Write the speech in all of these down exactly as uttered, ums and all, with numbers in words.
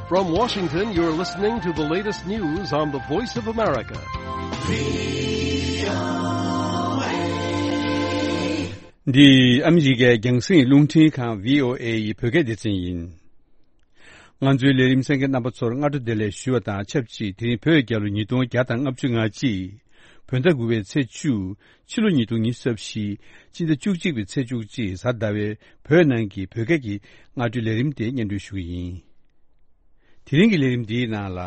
From Washington, you're listening to the latest news on the Voice of America. འདི་ཨ་མི་རི་ཀའི་རྒྱང་སྲིང་རླུང་འཕྲིན་ཁང་བྷི་ཨོ་ཨེ་ཡི་བོད་སྐད་སྡེ་ཚན་ཡིན། ང་ཚོའི་ལས་རིམ་གསན་མཁན་རྣམ་པ་ཚོར་སྔ་དྲོ་བདེ་ལེགས་ཞུ་བ་དང་ཆབས་ཅིག་དེ་རིང་བོད་རྒྱལ་ལོ་ཉིས་སྟོང་བརྒྱ་དང་ལྔ་བཅུ་ང་གཅིག་བོད་ཟླ་དགུ་པའི་ཚེས་བཅུ། ཕྱི་ལོ་ཉིས་སྟོང་ཉི་ཤུ་རྩ་བཞི། སྤྱི་ཟླ་བཅུ་གཅིག་པའི་ཚེས་བཅུ་གཅིག་གཟའ་ཟླ་བའི་བོད་ནང་གི་བོད་སྐད་ཀྱི་སྔ་དྲོའི་ལས་རིམ་དེ་སྙན་སྒྲོན་ཞུ་གི་ཡིན། དེ་རིང་གི་ལས་རིམ་འདིའི་ནང་ལ།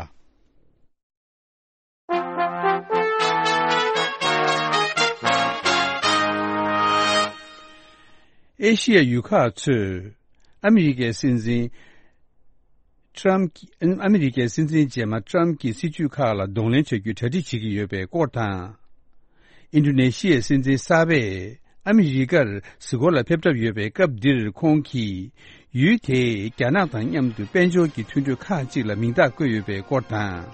ཨེ་ཤི་ཡ་ཡུལ་ཁག་ཚོས་ཨ་མི་རི་ཀའི་སྲིད་འཛིན་ཊྲམ་ཨ་མི་རི་ཀའི་སྲིད་འཛིན་རྗེས་མ་ཊྲམ་གྱི་སྲིད་ཇུས་ཁག་ལ་གདོང་ལེན་བྱ་རྒྱུའི་གྲ་སྒྲིག་བྱེད་ཀྱི་ཡོད་པའི་སྐོར་དང་། ཨིན་ཌོ་ནེ་ཤི་ཡའི་སྲིད་འཛིན་གསར་པས་ཨ་མི་རི་ཀར་གཟིགས་སྐོར་ལ་ཕེབས་གྲབས་ཡོད་པའི་སྐབས་འདིར་ཁོང་གིས་ཡུལ་དེས་རྒྱ་ནག་དང་མཉམ་དུ་དཔལ་འབྱོར་གྱི་མཐུན་གྲོས་ཁག་ཅིག་ལ་མིང་རྟགས་བཀོད་ཡོད་པའི་སྐོར་དང་།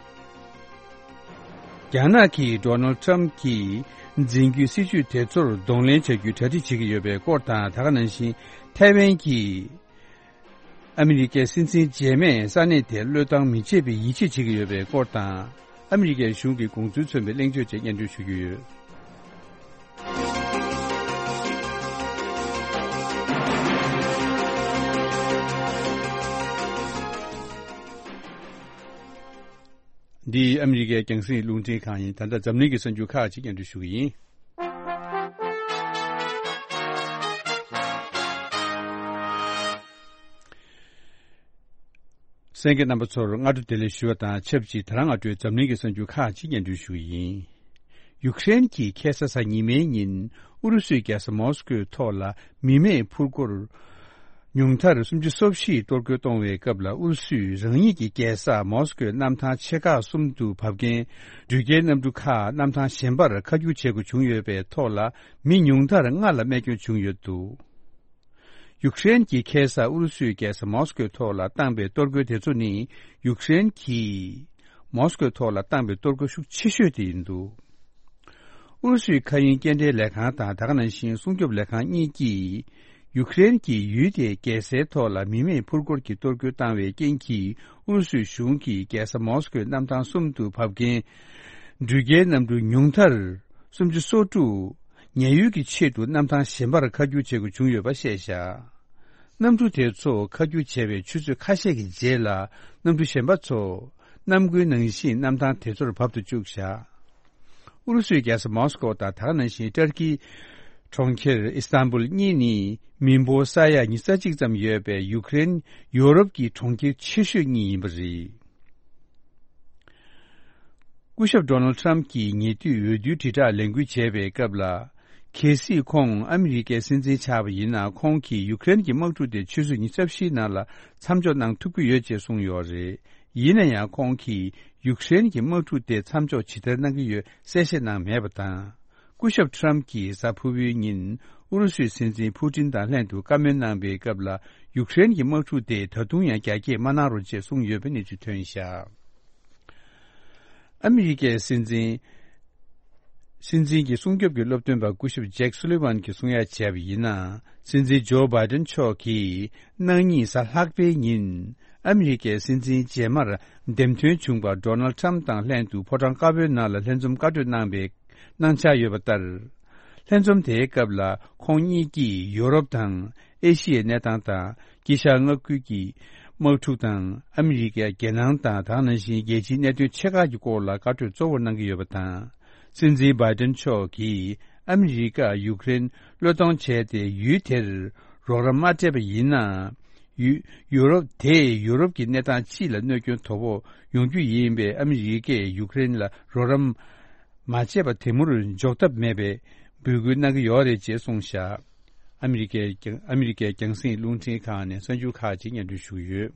རྒྱ་ནག་གིས་ཌོ་ནལ་ཌི་ཊྲམ་གྱིས་འཛིན་རྒྱུའི་སྲིད་ཇུས་དེ་ཚོར་གདོང་ལེན་བྱ་རྒྱུའི་གྲ་སྒྲིག་བྱེད་ཀྱི་ཡོད་པའི་སྐོར་དང་། ད་ག་ནང་བཞིན་ཐའེ་ཝན་གྱིས་ཨ་མི་རི་ཀའི་སྲིད་འཛིན་རྗེས་མས་ས་གནས་དེར་བློས་བཏང་མི་བྱེད་པའི་ཡིད་ཆེས་བྱེད་ཀྱི་ཡོད་པའི་སྐོར་དང་། ཨ་མི་རི་ཀའི་གཞུང་གི་དགོངས་ཚུལ་མཚོན་པའི་གླེང་བརྗོད་བཅས་སྙན་སྒྲོན་ཞུ་རྒྱུ་ཡོད། འདི་ཨ་མི་རི་ཀའི་རྒྱང་སྲིང་རླུང་འཕྲིན་ཁང་ཡིན། ད་ལྟ་འཛམ་གླིང་གི་གསར་འགྱུར་ཁག་ཅིག་སྙན་སྒྲོན་ཞུ་གི་ཡིན། གསན་མཁན་རྣམ་པ་ཚོར་སྔ་དྲོ་བདེ་ལེགས་ཞུ་བ་དང་ཆབས་ཅིག་དེ་རིང་སྔ་དྲོའི་འཛམ་གླིང་གི་གསར་འགྱུར་ཁག་ཅིག་སྙན་སྒྲོན་ཞུ་གི་ཡིན། ཡུཀ་རེན་གྱི་ཁ་སང་གཟའ་ཉི་མའི་ཉིན་ཨུ་རུ་སུའི་རྒྱལ་ས་མོ་སི་ཀོའི་ཐོག་ལ་མི་མེད་འཕུར་འཁོར་ཉུང་མཐར་སུམ་ཅུ་སོ་བཞི་གཏོར་རྒོལ་གཏོང་བའི་སྐབས་ལ་ཨུ་རུ་སུས་རང་ཉིད་ཀྱི་རྒྱལ་ས་མོ་སི་ཀོའི་གནམ་ཐང་ཆེ་ཁག་གསུམ་དུ་བབས་མཁན་འགྲུལ་སྐྱེལ་གནམ་གྲུ་ཁག་གནམ་ཐང་གཞན་པར་ཁ་བསྒྱུར་བྱེད་དགོས་བྱུང་ཡོད་པའི་ཐོག་ལ་མི་ཉུང་མཐར་ལྔ་ལ་རྨས་སྐྱོན་བྱུང་ཡོད་འདུག་ཡུཀ་རེན་གྱི་ཁ་སང་ཨུ་རུ་སུའི་རྒྱལ་ས་མོ་སི་ཀོའི་ཐོག་ལ་བཏང་པའི་གཏོར་རྒོལ་དེ་ཚོ་ནི་ཡུཀ་རེན་གྱིས་མོ་སི་ཀོའི་ཐོག་ལ་བཏང་པའི་གཏོར་རྒོལ་ཤུགས་ཆེ་ཤོས་དེ་ཡིན་འདུག་ཨུ་རུ་སུའི་མཁའ་དབྱིངས་སྐྱེལ་འདྲེན་ལས་ཁང་དང་ད་ག་ནང་བཞིན་སྲུང་སྐྱོབ་ལས་ཁང་གཉིས་ཀྱིས་ཡུཀ་རེན་གྱིས་ཡུལ་དེའི་རྒྱལ་སའི་ཐོག་ལ་མི་མེད་འཕུར་འཁོར་གྱི་གཏོར་རྒོལ་བཏང་བའི་རྐྱེན་གྱིས་ཨུ་རུ་སུའི་གཞུང་གིས་རྒྱལ་ས་མོ་སི་ཀོའི་གནམ་ཐང་གསུམ་དུ་བབས་མཁན་འགྲུལ་སྐྱེལ་གནམ་གྲུ་ཉུང་མཐར་སུམ་ཅུ་སོ་དྲུག་ཉེན་གཡོལ་གྱི་ཆེད་དུ་གནམ་ཐང་གཞན་པར་ཁ་བསྒྱུར་བྱེད་དགོས་བྱུང་ཡོད་པ་བཤད་བཞག་གནམ་གྲུ་དེ་ཚོ་ཁ་བསྒྱུར་བྱས་པའི་ཆུ་ཚོད་ཁ་ཤས་ཀྱི་རྗེས་ལ་གནམ་གྲུ་གཞན་པ་ཚོ་གནམ་སྒོའི་ནང་བཞིན་གནམ་ཐང་དེ་ཚོར་བབ་ཏུ་བཅུག་བཞག་ཨུ་རུ་སུའི་རྒྱལ་ས་མོ་སི་ཀོ་དང་ད་ག་ནང་བཞིན་ཏར་ཀིའི་གྲོང་ཁྱེར་ཨི་སྟན་བུལ་གཉིས་ནི་མི་འབོར་ས་ཡ་ཉི་ཤུ་རྩ་གཅིག་ཙམ་ཡོད་པའི་ཡུཀ་རེན་ཡོ་རོབ་ཀྱི་གྲོང་ཁྱེར་ཆེ་ཤོས་གཉིས་ཡིན་པ་རེད། སྐུ་ཞབས་ཌོ་ནལ་ཌི་ཊྲམ་གྱིས་ཉེ་དུས་འོས་བསྡུའི་དྲིལ་བསྒྲགས་ལས་འགུལ་བྱས་པའི་སྐབས་ལ། གལ་སྲིད་ཁོང་ཨ་མི་རི་ཀའི་སྲིད་འཛིན་ཆགས་པ་ཡིན་ན་ཁོང་གིས་ཡུཀ་རེན་གྱི་དམག་འཁྲུག་དེ་ཆུ་ཚོད་ཉི་ཤུ་རྩ་བཞིའི་ནང་ལ་མཚམས་འཇོག་གནང་ཐུབ་ཀྱི་ཡོད་ཅེས་གསུངས་ཡོད་རེད། ཡིན་ན་ཡང་ཁོང་གིས་ཡུཀ་རེན་གྱི་དམག་འཁྲུག་དེ་མཚམས་འཇོག་ཇི་ལྟར་གནང་གི་ཡོད་གསལ་བཤད་གནང་མེད་པ་དང་། སྐུ་ཞབས་ཊྲམ་གྱིས་གཟའ་ཕུར་བུའི་ཉིན་ཨུ་རུ་སུའི་སྲིད་འཛིན་ཕུ་ཏིན་དང་ལྷན་དུ་བཀའ་མོལ་གནང་པའི་སྐབས་ལ་ཡུཀ་རེན་གྱི་དམག་འཁྲུག་དེ་ད་དུང་ཡང་རྒྱ་སྐྱེད་མ་གནང་རོགས་ཅེས་གསུངས་ཡོད་པའི་གནས་ཚུལ་ཐོན་བཞག་ཨ་མི་རི་ཀའི་སྲིད་འཛིན། སྲིད་འཛིན་གྱི་སྲུང་སྐྱོབ་ཀྱི་སློབ་སྟོན་པ་སྐུ་ཞབས་ཇེག་སུ་ལི་ཝན་གྱིས་གསུང་ཡ་བྱས་པ་ཡིན་ན། སྲིད་འཛིན་ཇོ་བྷའི་ཏན་མཆོག་གིས་གནངས་ཉིན་གཟའ་ལྷག་པའི་ཉིན་ཨ་མི་རི་ཀའི་སྲིད་འཛིན་རྗེས་མར་འདེམས་ཐོན་བྱུང་བ་ཌོ་ནལ་ཌི་ཊྲམ་དང་ལྷན་དུ་ཕོ་བྲང་དཀར་པོའི་ནང་ལ་ལྷན་འཛོམས་བཀའ་གྲོས་གནང་བའི་གནང་འཆར་ཡོད་པ་ལྟར། ལྷན་འཛོམས་དེའི་སྐབས་ལ་ཁོང་གཉིས་ཀྱིས་ཡོ་རོབ་དང་ཨེ་ཤི་ཡའི་གནས་སྟངས་དང་དཀྱིལ་ཤར་མངའ་ཁུལ་གྱི་དམག་འཁྲུག་དང་ཨ་མི་རི་ཀའི་རྒྱལ་ནང་དང་དེ་ནང་བཞིན་རྒྱལ་སྤྱིའི་གནད་དོན་ཆེ་ཁག་གི་སྐོར་ལ་བཀའ་གྲོས་གཙོ་བོར་གནང་གི་ཡོད་པ་དང་། སྲིད་འཛིན་བྷའི་ཏན་མཆོག་གིས་ཨ་མི་རི་ཀ་ཡུཀ་རེན་བློས་གཏོང་བྱས་ཏེ་ཡུལ་དེར་རོགས་རམ་མ་སྤྲད་པ་ཡིན་ན། ཡུ་ཡུ་རོབ་དེས་ཡུ་རོབ་ཀྱི་གནས་སྟངས་སྤྱི་ལ་གནོད་སྐྱོན་དོ་ཕོག་ཡོང་རྒྱུ་ཡིན་པས་ཨ་མི་རི་ཀས་ཡུཀ་རེན་ལ་རོགས་རམ་མ་བྱས་པ་དེ་མུར་འཇོག་ཐབས་མེད་པའི་འབོད་སྐུལ་གནང་གི་ཡོད་རེད་ཅེས་གསུངས་བཞག་ཨ་མི་རི་ཀའི་རྒྱང་ཨ་མི་རི་ཀའི་རྒྱང་སྲིང་རླུང་འཕྲིན་ཁང་ནས་གསར་འགྱུར་ཁག་ཅིག་སྙན་སྒྲོན་ཞུ་གི་ཡོད།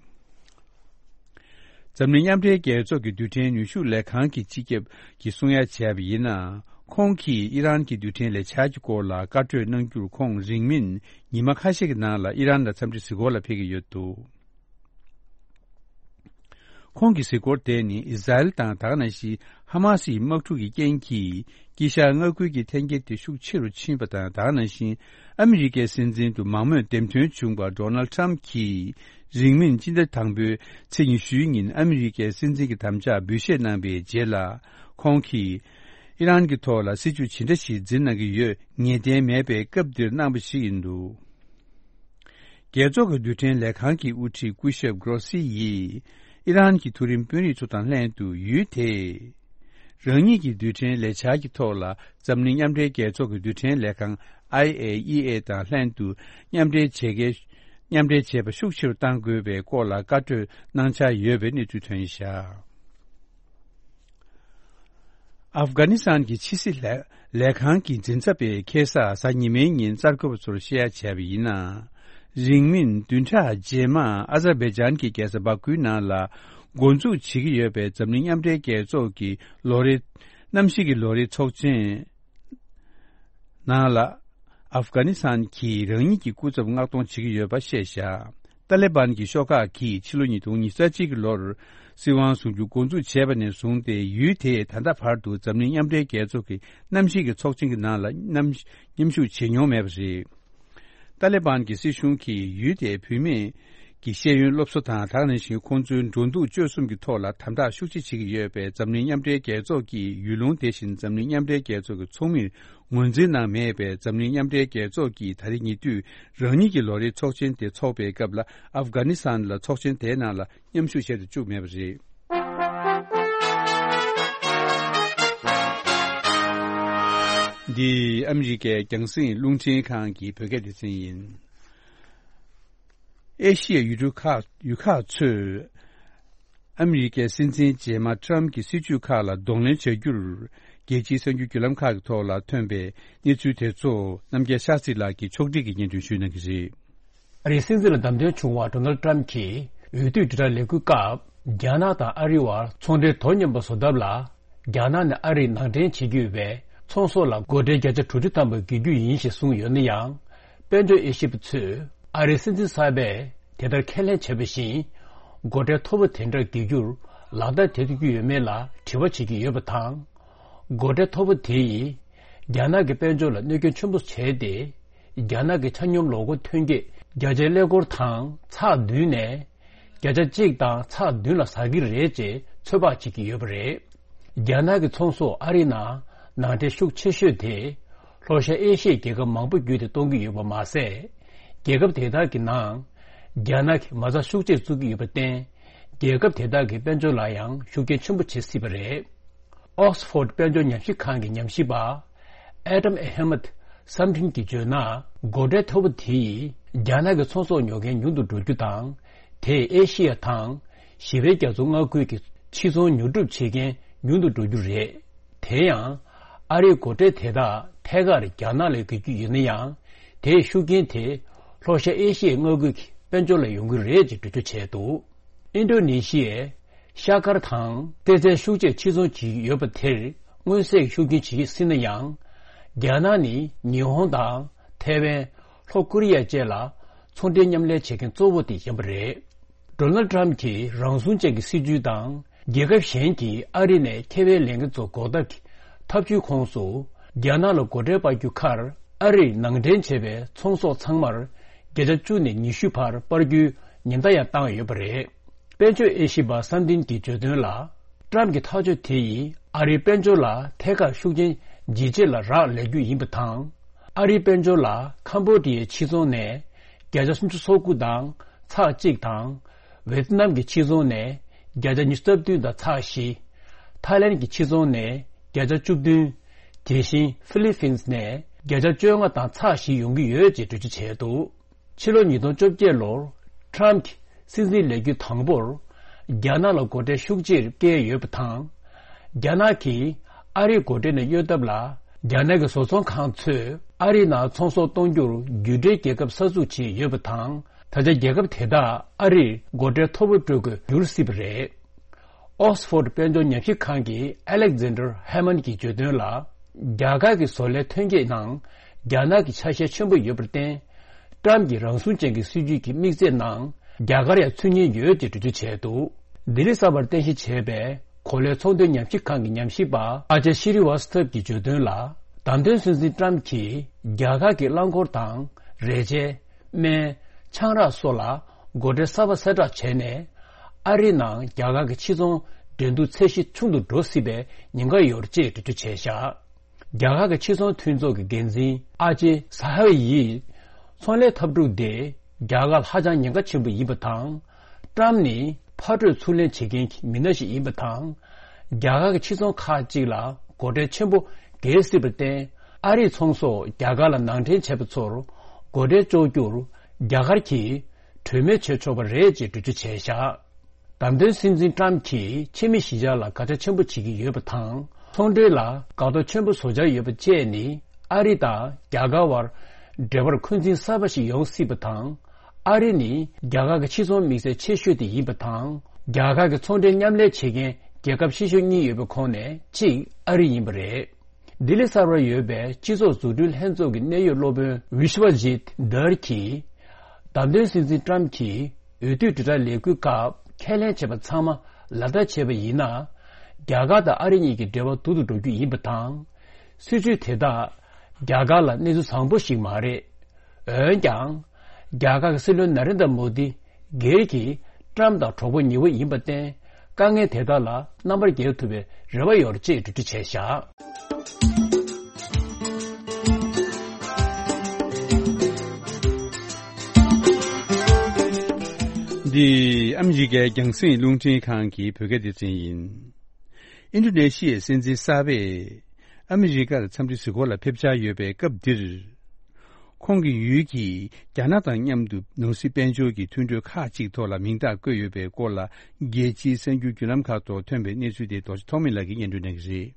འཛམ་གླིང་མཉམ་འབྲེལ་རྒྱལ་ཚོགས་ཀྱི་རྡུལ་ཕྲན་ནུས་ཤུགས་ལས་ཁང་གི་སྤྱི་ཁྱབ་ཀྱིས་གསུང་ཡ་བྱས་པ་ཡིན་ན། ཁོང་གིས་ཨི་རན་གྱི་རྡུལ་ཕྲན་ལས་འཆར་གྱི་སྐོར་ལ་བཀའ་གྲོས་གནང་རྒྱུར་ཁོང་རིང་མིན་ཉི་མ་ཁ་ཤས་ཀྱི་ནང་ལ་ཨི་རན་ལ་འཚམས་འདྲི་གཟིགས་སྐོར་ལ་ཕེབས་ཀྱི་ཡོད་འདུག་ཁོང་གི་གཟིགས་སྐོར་དེ་ནི་ཨི་ཟ་རེལ་དང་ད་ག་ནང་བཞིན་ཧ་མ་སིའི་དམག་འཁྲུག་གི་རྐྱེན་གྱིས་དཀྱིལ་ཤར་མངའ་ཁུལ་གྱི་འཐེན་འཁྱེར་དེ་ཤུགས་ཆེ་རུ་ཕྱིན་པ་དང་། ད་ག་ནང་བཞིན་ཨ་མི་རི་ཀའི་སྲིད་འཛིན་དུ་མང་མོས་འདེམས་ཐོན་བྱུང་བ་ཌོ་ནལ་ཌི་ཊྲམ་གྱིས་ རིང་མིན་སྤྱི་ཟླ་དང་པོའི་ཚེས་ཉི་ཤུའི་ཉིན་ཨ་མི་རི་ཀའི་སྲིད་འཛིན་གྱི་དམ་བཅའ་འབུལ་བཞེས་གནང་པའི་རྗེས་ལ། ཁོང་གིས་ཨི་རན་གྱི་ཐོག་ལ་སྲིད་ཇུས་ཇི་འདྲ་ཞིག་འཛིན་གནང་གི་ཡོད་ངེས་གཏན་མེད་པའི་སྐབས་འདིར་གནང་བ་ཞིག་ཡིན་འདུག། རྒྱལ་ཚོགས་ཀྱི་རྡུལ་ཕྲན་ལས་ཁང་གི་དབུ་ཁྲིད་སྐུ་ཞབས་གྷོ་རོ་སི་ཡིས་ཨི་རན་གྱི་མཐོ་རིམ་དཔོན་རིགས་ཚོ་དང་ལྷན་དུ་ཡུལ་དེས་རང་ཉིད་ཀྱི་རྡུལ་ཕྲན་ལས་འཆར་གྱི་ཐོག་ལ་འཛམ་གླིང་མཉམ་འབྲེལ་རྒྱལ་ཚོགས་ཀྱི་རྡུལ་ཕྲན་ལས་ཁང་ཨའི་ཨེ་ཨི་ཨེ་དང་ལྷན་དུ་མཉམ་འབྲེལ་བྱེད་མཁན་མཉམ་འབྲེལ་བྱེད་པ་ཤུགས་ཆེ་རུ་གཏང་དགོས་པའི་སྐོར་ལ་བཀའ་གྲོས་གནང་འཆར་ཡོད་པའི་གནས་ཚུལ་ཐོན་བཞག། ཨབ་གྷ་ནི་སི་ཐན་གྱི་ཕྱི་སྲིད་ལས་ལས་ཁང་གི་འཛིན་ཚབ་པས་ཁ་སང་གཟའ་ཉི་མའི་ཉིན་གསར་འགོད་པ་ཚོར་བཤད་ཡ་བྱས་པ་ཡིན་ན། རིང་མིན་བདུན་ཕྲག་རྗེས་མ་ཨ་ཛར་བྷའི་ཇན་གྱི་རྒྱལ་ས་བྷ་ཁུའི་ནང་ལ་འགོ་འཛུགས་བྱེད་ཀྱི་ཡོད་པའི་འཛམ་གླིང་མཉམ་འབྲེལ་རྒྱལ་ཚོགས་ཀྱི་ལོ་རེའི་གནམ་གཤིས་ཀྱི་ལོ་རེའི་ཚོགས་ཆེན་ནང་ལ། ཨབ་གྷ་ནི་སི་ཐན་གྱིས་རང་ཉིད་ཀྱི་སྐུ་ཚབ་མངགས་གཏོང་བྱེད་ཀྱི་ཡོད་པ་བཤད་བཞག། ཏཱ་ལེ་བན་གྱི་ཤོག་ཁག་གིས་ཕྱི་ལོ་ཉིས་སྟོང་ཉི་ཤུ་རྩ་གཅིག་གི་ལོར་སྲིད་དབང་བཟུང་རྒྱུ་འགོ་འཛུགས་བྱས་པ་ནས་བཟུང་སྟེ་ཡུལ་དེས་ད་ལྟ་བར་དུ་འཛམ་གླིང་མཉམ་འབྲེལ་རྒྱལ་ཚོགས་ཀྱི་གནམ་གཤིས་ཀྱི་ཚོགས་ཆེན་གྱི་ནང་ལ་མཉམ་མཉམ་ཞུགས་བྱེད་མྱོང་མེད་པ་རེད། ཏཱ་ལེ་བན་གྱི་སྲིད་གཞུང་གིས་ཡུལ་དེའི་བུད་མེད་ཀྱི་ཤེས་ཡོན་སློབ་གསོ་དང་། ད་ག་ནང་བཞིན་ཁོང་ཚོའི་འགྲོ་འདུག་སྤྱོད་གསུམ་གྱི་ཐོག་ལ་དམ་དྲག་ཤུགས་ཆེ་བྱེད་ཀྱི་ཡོད་པས། འཛམ་གླིང་མཉམ་འབྲེལ་རྒྱལ་ཚོགས་ཀྱི་ཡུལ་ལུང་དེ་བཞིན་འཛམ་གླིང་མཉམ་འབྲེལ་རྒྱལ་ཚོགས་ཀྱི་ཚོགས་མིར་ངོས་འཛིན་གནང་མེད་པས། འཛམ་གླིང་མཉམ་འབྲེལ་རྒྱལ་ཚོགས་ཀྱིས་ད་རེས་ཉེ་དུས་རང་ཉིད་ཀྱི་ལོ་རེའི་ཚོགས་ཆེན་དེ་འཚོགས་པའི་སྐབས་ལ་ཨབ་གྷ་ནི་སི་ཐན་ལ་ཚོགས་ཆེན་དེའི་ནང་ལ་མཉམ་ཞུགས་བྱེད་དུ་བཅུག་མེད་པ་རེད། འདི་ཨ་མི་རི་ཀའི་རྒྱང་སྲིང་རླུང་འཕྲིན་ཁང་གི་བོད་སྐད་སྡེ་ཚན་ཡིན། ཨེ་ཤི་ཡའི་ཡུལ་གྲུ་ཁག་ཡུལ་ཁག་ཚོས་ཨ་མི་རི་ཀའི་སྲིད་འཛིན་རྗེས་མ་ཊམ་གྱི་སྲིད་ཇུས་ཁག་ལ་གདོང་ལེན་བྱ་རྒྱུར། རྒྱལ་སྤྱིའི་གསར་འགྱུར་བརྒྱུད་ལམ་ཁག་གི་ཐོག་ལ་ཐོན་པའི་གནས་ཚུལ་དེ་ཚོ་རྣམ་རྒྱལ་ཤཱ་སྟྲི་ལགས་ཀྱིས་ཕྱོགས་སྒྲིག་གིས་སྙན་སྒྲོན་ཞུ་གནང་གི་རེད། ཨ་རིའི་སྲིད་འཛིན་ལ་བདམས་ཐོན་བྱུང་བ་ཌོ་ནལ་ཌི་ཊམ་གྱིས་འོས་བསྡུ་དྲིལ་བསྒྲགས་ལས་འགུལ་སྐབས། རྒྱ་ནག་དང་ཨ་རི་བར་ཚོང་འབྲེལ་དོ་མཉམ་པ་བཟོ་ཐབས་ལ། རྒྱ་ནག་ནས་ཨ་རིར་ནང་འདྲེན་བྱེད་ཀྱི་ཡོད་པའི་ཚོང་ཟོག་ལ་སྒོ་ཁྲལ་བརྒྱ་ཆ་དྲུག་ཅུ་ཐམ་པ་འགེལ་རྒྱུ་ཡིན་ཞེས་གསུངས་ཡོད་ན་ཡང་། དཔལ་འབྱོར་དབྱེ་ཞིབ་པ་ཚོས་ཨ་རིའི་སྲིད་འཛིན་གསར་པས་དེ་ལྟར་ཁས་ལེན་བྱས་པ་བཞིན། སྒོ་ཁྲལ་མཐོ་པོ་དེ་འདྲ་འགེལ་རྒྱུར་ལག་བསྟར་བྱེད་ཐུབ་ཀྱི་ཡོད་མེད་ལ་དྲི་བ་བྱེད་ཀྱི་ཡོད་པ་དང་། སྒོ་ཁྲལ་མཐོ་པོ་དེ་ཡིས་རྒྱ་ནག་གི་དཔལ་འབྱོར་ལ་གནོད་སྐྱོན་ཆེན་པོ་བྱས་ཏེ། རྒྱ་ནག་གི་ཆ་སྙོམས་ལོ་འཁོར་ཐོན་སྐྱེད་བརྒྱ་ཆའི་ཀླད་ཀོར་དང་ཚེག་བདུན་ནས། བརྒྱ་ཆ་གཅིག་དང་ཚེག་བདུན་ལ་ཟག་གི་རེད་ཅེས་ཚོད་དཔག་བྱེད་ཀྱི་ཡོད་པ་རེད། རྒྱ་ནག་གི་ཚོང་ཟོག་ཨ་རི་ནང་ནང་འདྲེན་ཤུགས་ཆེ་ཤོས་དེ་ལྷོ་ཤར་ཨེ་ཤི་ཡའི་རྒྱལ་ཁབ་མང་པོ་བརྒྱུད་དེ་གཏོང་གི་ཡོད་པ་མ་ཟད། རྒྱལ་ཁབ་དེ་དག་གི་ནང་རྒྱ་ནག་གིས་མ་རྩ་ཤུགས་ཆེར་བཙུགས་ཀྱི་ཡོད་པར་བརྟེན། རྒྱལ་ཁབ་དེ་དག་གི་དཔལ་འབྱོར་ལ་ཡང་ཤུགས་རྐྱེན་ཆེན་པོ་བྱེད་སྲིད་པ་རེད། ཨོག་སི་ཕོར་ཌི་དཔལ་འབྱོར་ཉམས་ཞིབ་ཁང་གི་ཉམས་ཞིབ་པ། ཨེ་ཏམ་ཨེ་ཧེ་མད་སམ་ཐིན་གྱིས་བརྗོད་ན། སྒོ་ཁྲལ་མཐོ་པོ་དེ་ཡིས་རྒྱ་ནག་གི་ཚོང་ཟོག་ཉོ་མཁན་ཉུང་དུ་འགྲོ་རྒྱུ་དང་། དེས་ཨེ་ཤི་ཡ་དང་ཞི་བའི་རྒྱ་མཚོ་མངའ་ཁུལ་གྱི་ཕྱི་ཚོང་ཉོ་སྒྲུབ་བྱེད་མཁན་ཉུང་དུ་འགྲོ་རྒྱུ་རེད། དེ་ཡང་། ཨ་རིའི་སྒོ་ཁྲལ་དེ་དག་ཐད་ཀར་རྒྱ་ནག་ལ་བརྒལ་རྒྱུ་ཡིན་ན་ཡང་། དེའི་ཤུགས་རྐྱེན་དེ་ལྷོ་ཤར་ཨེ་ཤི་ཡའི་མངའ་ཁུལ་གྱི་དཔལ་འབྱོར་ལ་ཡོང་གི་རེད་ཅེས་འགྲེལ་བརྗོད་བྱས་འདུག། ཨིན་ཌོ་ནེ་ཤི་ཡས་ཤ་དཀར་དང་གཏེར་རྫས་ཤུགས་ཆེར་ཕྱིར་ཚོང་བྱེད་ཀྱི་ཡོད་པ་དེར་མངོན་གསལ་གྱི་ཤུགས་རྐྱེན་བྱེད་ཀྱི་སྲིད་ན་ཡང་། རྒྱ་ནག་ནི་ཉི་ཧོང་དང་ཐའེ་ཝན། ལྷོ་ཀོ་རི་ཡ་བཅས་ལ་ཚོང་འབྲེལ་མཉམ་ལས་བྱེད་མཁན་གཙོ་བོ་དེ་ཡིན་པ་རེད། ཌོ་ནལ་ཌི་ཊམ་གྱི་རང་སྲུང་ཅན་གྱི་སྲིད་ཇུས་དང་། རྒྱལ་ཁབ་གཞན་གྱིས་ཨ་རི་ནས་ཁེ་ཕན་ལེན་མཁན་ཚོ་འགོག་ཐབས་ཀྱི་ཐབས་ཇུས་ཁོངས་སུ། རྒྱ་ནག་ལ་སྒོ་ཁྲལ་སྤར་རྒྱུ་ཁར་ཨ་རིར་ནང་འདྲེན་བྱས་པའི་ཚོང་ཟོག་ཚང་མར་བརྒྱ་ཆ་བཅུ་ནས་ཉི་ཤུ་བར་སྤར་རྒྱུའི་ཉེན་བརྡ་ཡང་བཏང་ཡོད་པ་རེད། དཔལ་འབྱོར་དབྱེ་ཞིབ་པ་སམ་ཐིན་གྱིས་བརྗོད་དོན་ལ། ཊམ་གྱི་ཐག་གཅོད་དེ་ཡིས་ཨ་རིའི་དཔལ་འབྱོར་ལ་ཐད་ཀར་ཤུགས་རྐྱེན་ཇེ་ཆེ་ལ་རག་ལས་རྒྱུ་ཡིན་པ་དང་། ཨ་རིའི་དཔལ་འབྱོར་ལ་ཁམ་བྷོ་ཌི་ཡའི་ཕྱིར་ཚོང་ནས་བརྒྱ་ཆ་སུམ་ཅུ་སོ་དགུ་དང་ཚེག་གཅིག་དང་། ཝེ་ཏི་ནམ་གྱི་ཕྱིར་ཚོང་ནས་བརྒྱ་ཆ་ཉི་ཤུ་རྩ་བདུན་དང་ཚེག་བཞི། ཐའི་ལན་གྱི་ཕྱིར་ཚོང་ནས་བརྒྱ་ཆ་བཅུ་བདུན། དེ་བཞིན་ཧྥི་ལི་ཕིན་ནས་བརྒྱ་ཆ་བཅོ་ལྔ་དང་ཚེག་བཞི་ཡོང་གི་ཡོད་ཅེས་འགྲེལ་བརྗོད་བྱས་འདུག། ཕྱི་ལོ་ཉིས་སྟོང་བཅོ་བརྒྱད་ལོར་ཊམ་གྱི་སྲིད་འཛིན་ལས་རྒྱུ་དང་པོར་རྒྱ་ནག་ལ་སྒོ་ཁྲལ་ཤུགས་ཆེར་བཀལ་ཡོད་པ་དང་། རྒྱ་ནག་གིས་ཨ་རིའི་སྒོ་ཁྲལ་ནས་གཡོལ་ཐབས་ལ་རྒྱ་ནག་གི་བཟོ་ཚོང་ཁང་ཚོས་ཨ་རིའི་ནང་ཚོང་ཟོག་གཏོང་རྒྱུར་རྒྱུ་འབྲེལ་རྒྱལ་ཁབ་གསར་འཛུགས་བྱས་ཡོད་པ་དང་། ད་ཆ་རྒྱལ་ཁབ་དེ་དག་ཨ་རིར་སྒོ་ཁྲལ་མཐོ་པོ་སྤྲོད་དགོས་འགྱུར་སྲིད་པ་རེད། ཨོག་སི་ཕོར་ཌི་དཔལ་འབྱོར་ཉམས་ཞིབ་ཁང་གི་ཨ་ལེག་ཛན་ཌར་ཧེ་མན་གྱིས་བརྗོད་དོན་ལ། རྒྱ་གར་གྱི་བཟོ་ལས་ཐོན་སྐྱེད་ནང་རྒྱ་ནག་གི་ཆ་ཤས་ཆེན་པོ་ཡོད་པར་བརྟེན། ཊམ་གྱི་རང་སྲུང་ཅན་གྱི་སྲིད་ཇུས་ཀྱི་དམིགས་ཚད་ནང་རྒྱ་གར་ཡང་ཚུད་ཉེན་ཡོད་ཅེས་འགྲེལ་བརྗོད་བྱས་འདུག། ལྡི་ལི་གསར་པར་རྟེན་གཞི་བྱས་པའི་གོ་ལའི་ཚོང་དོན་ཉམས་ཞིབ་ཁང་གི་ཉམས་ཞིབ་པ་ཨ་ཅཱ་ཤི་རི་ཝཱ་སི་ཐབ་ཀྱིས་བརྗོད་དོན་ལ། བདམས་ཐོན་སྲིད་འཛིན་ཊམ་གྱིས་རྒྱ་གར་གྱི་རླངས་འཁོར་དང་རས་ཆས། སྨན། ཆང་རག་སོགས་ལ་ སྒོ་ཁྲལ་གསར་པ་གསལ་བསྒྲགས་བྱས་ནས། ཨ་རིའི་ནང་རྒྱ་གར་གྱི་ཕྱི་ཚོང་འགྲན་བསྡུར་ཚད་གཞི་ཆུང་དུ་འགྲོ་སྲིད་པའི་ཉེན་ཁ་ཡོད་ཅེས་འགྲེལ་བརྗོད་བྱས་བཞག་རྒྱ་གར་གྱི་ཕྱི་ཚོང་མཐུན་ཚོགས་ཀྱི་འགན་འཛིན་ཨ་ཅེ་ས་ཧ་ཝེ་ཡིས། ཚོང་ལས་འཐབ་འཁྲུག་དེ་རྒྱ་གར་ལ་ཧ་ཅང་ཉེན་ཁ་ཆེན་པོ་ཡིན་པ་དང་། ཏྲམ་ནི་ཕར་སྤྲོད་ཚུར་ལེན་བྱེད་མཁན་གྱི་མི་སྣ་ཞིག་ཡིན་པ་དང་། རྒྱ་གར་གྱི་ཕྱི་ཚོང་ཁག་ཅིག་ལ་སྒོ་ཁྲལ་ཆེན་པོ་འགེལ་སྲིད་པར་བརྟེན། ཨ་རིའི་ཚོང་ཟོག་རྒྱ་གར་ལ་ནང་འདྲེན་བྱས་པ་ཚོར་སྒོ་ཁྲལ་གཅོག་རྒྱུར་རྒྱ་གར་གྱིས་གྲོས་མོལ་བྱེད་ཆོག་པ་རེད་ཅེས་འགྲེལ་བརྗོད་བྱས་བཞག་བདམས་ཐོན་སྲིད་འཛིན་ཏྲམ་གྱིས་ཕྱི་མི་གཞིས་ཆགས་ལ་དགག་བྱ་ཆེན་པོ་བྱེད་ཀྱི་ཡོད་པ་དང་། ཚོང་འབྲེལ་ལ་འགག་གཏོར་ཆེན་པོ་བཟོ་འཆར་ཡོད་པ་བཅས་ནི། ཨ་རི་དང་རྒྱ་གར་བར་འབྲེལ་བར་འཁོན་འཛིན་གསར་པ་ཞིག་ཡོང་སྲིད་པ་དང་། ཨ་རི་ནི་རྒྱ་གར་གྱི་ཕྱི་ཚོང་དམིགས་བསལ་ཆེ་ཤོས་དེ་ཡིན་པ་དང་། རྒྱ་གར་གྱི་ཚོང་འབྲེལ་མཉམ་ལས་བྱེད་མཁན་རྒྱལ་ཁབ་ཆེ་ཤོས་གཉིས་ཡོད་པའི་ཁོངས་ནས་གཅིག་ཨ་རི་ཡིན་པ་རེད། ལྡི་ལི་གསར་པར་ཡོད་པའི་སྤྱི་ཚོགས་འཛུགས་སྐྲུན་ལྷན་ཚོགས་ཀྱི་གནད་ཡོད་སློབ་དཔོན་ཝི་ཤ་བ་ཇིད་དར་གྱིས། བདམས་ཐོན་སྲིད་འཛིན་ཏྲམ་གྱིས་འོས་བསྡུ་དྲིལ་བསྒྲགས་ལས་འགུལ་སྐབས་ཁས་ལེན་བྱས་པ་ཚང་མ་ལག་བསྟར་བྱས་པ་ཡིན་ན། རྒྱ་གར་དང་ཨ་རི་གཉིས་ཀྱི་འབྲེལ་བ་སྡུག་ཏུ་འགྲོ་རྒྱུ་ཡིན་པ་དང་། སྲིད་ཇུས་དེ་དག་རྒྱ་གར་ལ་གནས་ཚུལ་བཟང་པོ་ཞིག་མ་རེད། འོན་ཀྱང་། རྒྱ་གར་གྱི་སྲིད་བློན་ན་རེན་དྲ་མོ་དི་སྒེར་གྱིས་ཏྲམ་དང་གྲོགས་པོ་ཉེ་བོ་ཡིན་པར་བརྟེན། དཀའ་ངལ་དེ་དག་ལ་རྣམ་པར་རྒྱལ་ཐུབ་པའི་རེ་བ་ཡོད་ཅེས་འགྲེལ་བརྗོད་བྱས་བཞག་འདི་ཨ་མི་རི་ཀའི་རྒྱང་སྲིང་རླུང་འཕྲིན་ཁང་གི་བོད་སྐད་སྡེ་ཚན་ཡིན། ཨིན་ཌོ་ནེ་ཤི་ཡའི་སྲིད་འཛིན་གསར་པས་ཨ་མི་རི་ཀར་འཚམས་འདྲི་གཟིགས་སྐོར་ལ་ཕེབས་འཆར་ཡོད་པའི་སྐབས་འདིར། ཁོང་གི་ཡུལ་གྱིས་རྒྱ་ནག་དང་མཉམ་དུ་ནོར་སྲིད་དཔལ་འབྱོར་གྱི་མཐུན་གྲོས་ཁག་ཅིག་ཐོག་ལ་མིང་རྟགས་བཀོད་ཡོད་པའི་སྐོར་ལ། རྒྱལ་སྤྱིའི་གསར་འགྱུར་བརྒྱུད་ལམ་ཁག་ཐོག་ཐོན་པའི་གནས་ཚུལ་དེ་རྡོ་རྗེ་ཐོགས་མེད་ལགས་ཀྱིས་སྙན་སྒྲོན་གནང་གི་རེད།